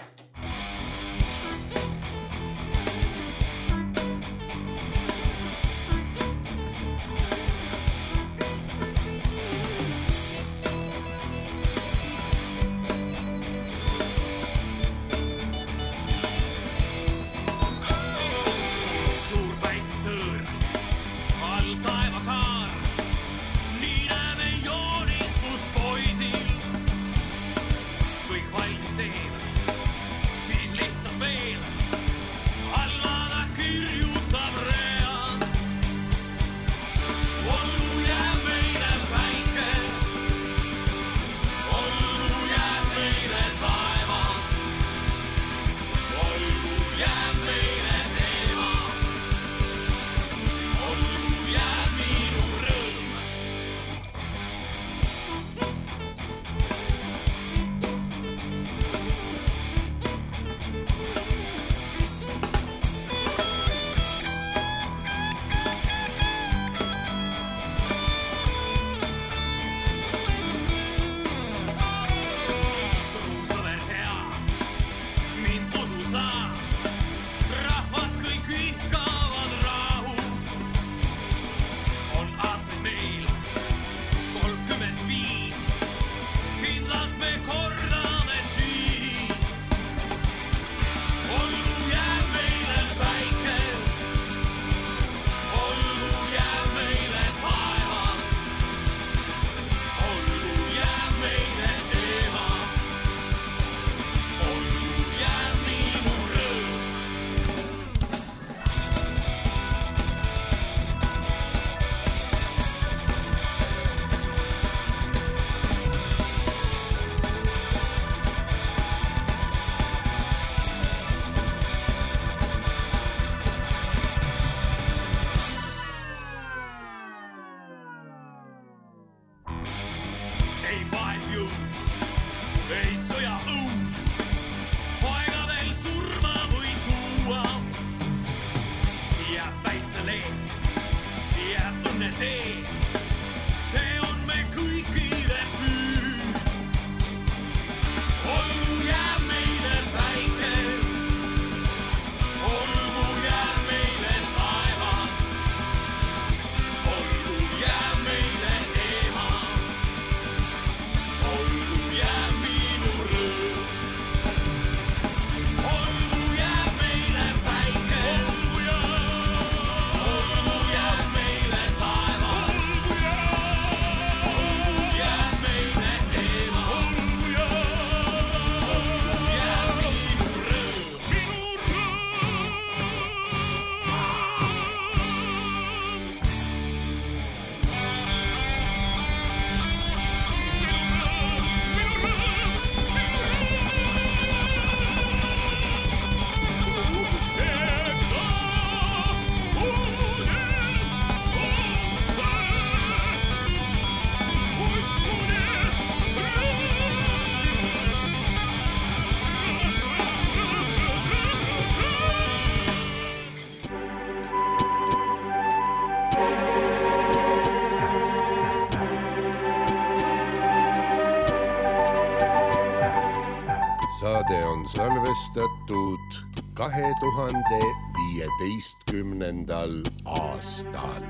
saade on salvestatud kahe tuhande viieteistkümnendal aastal.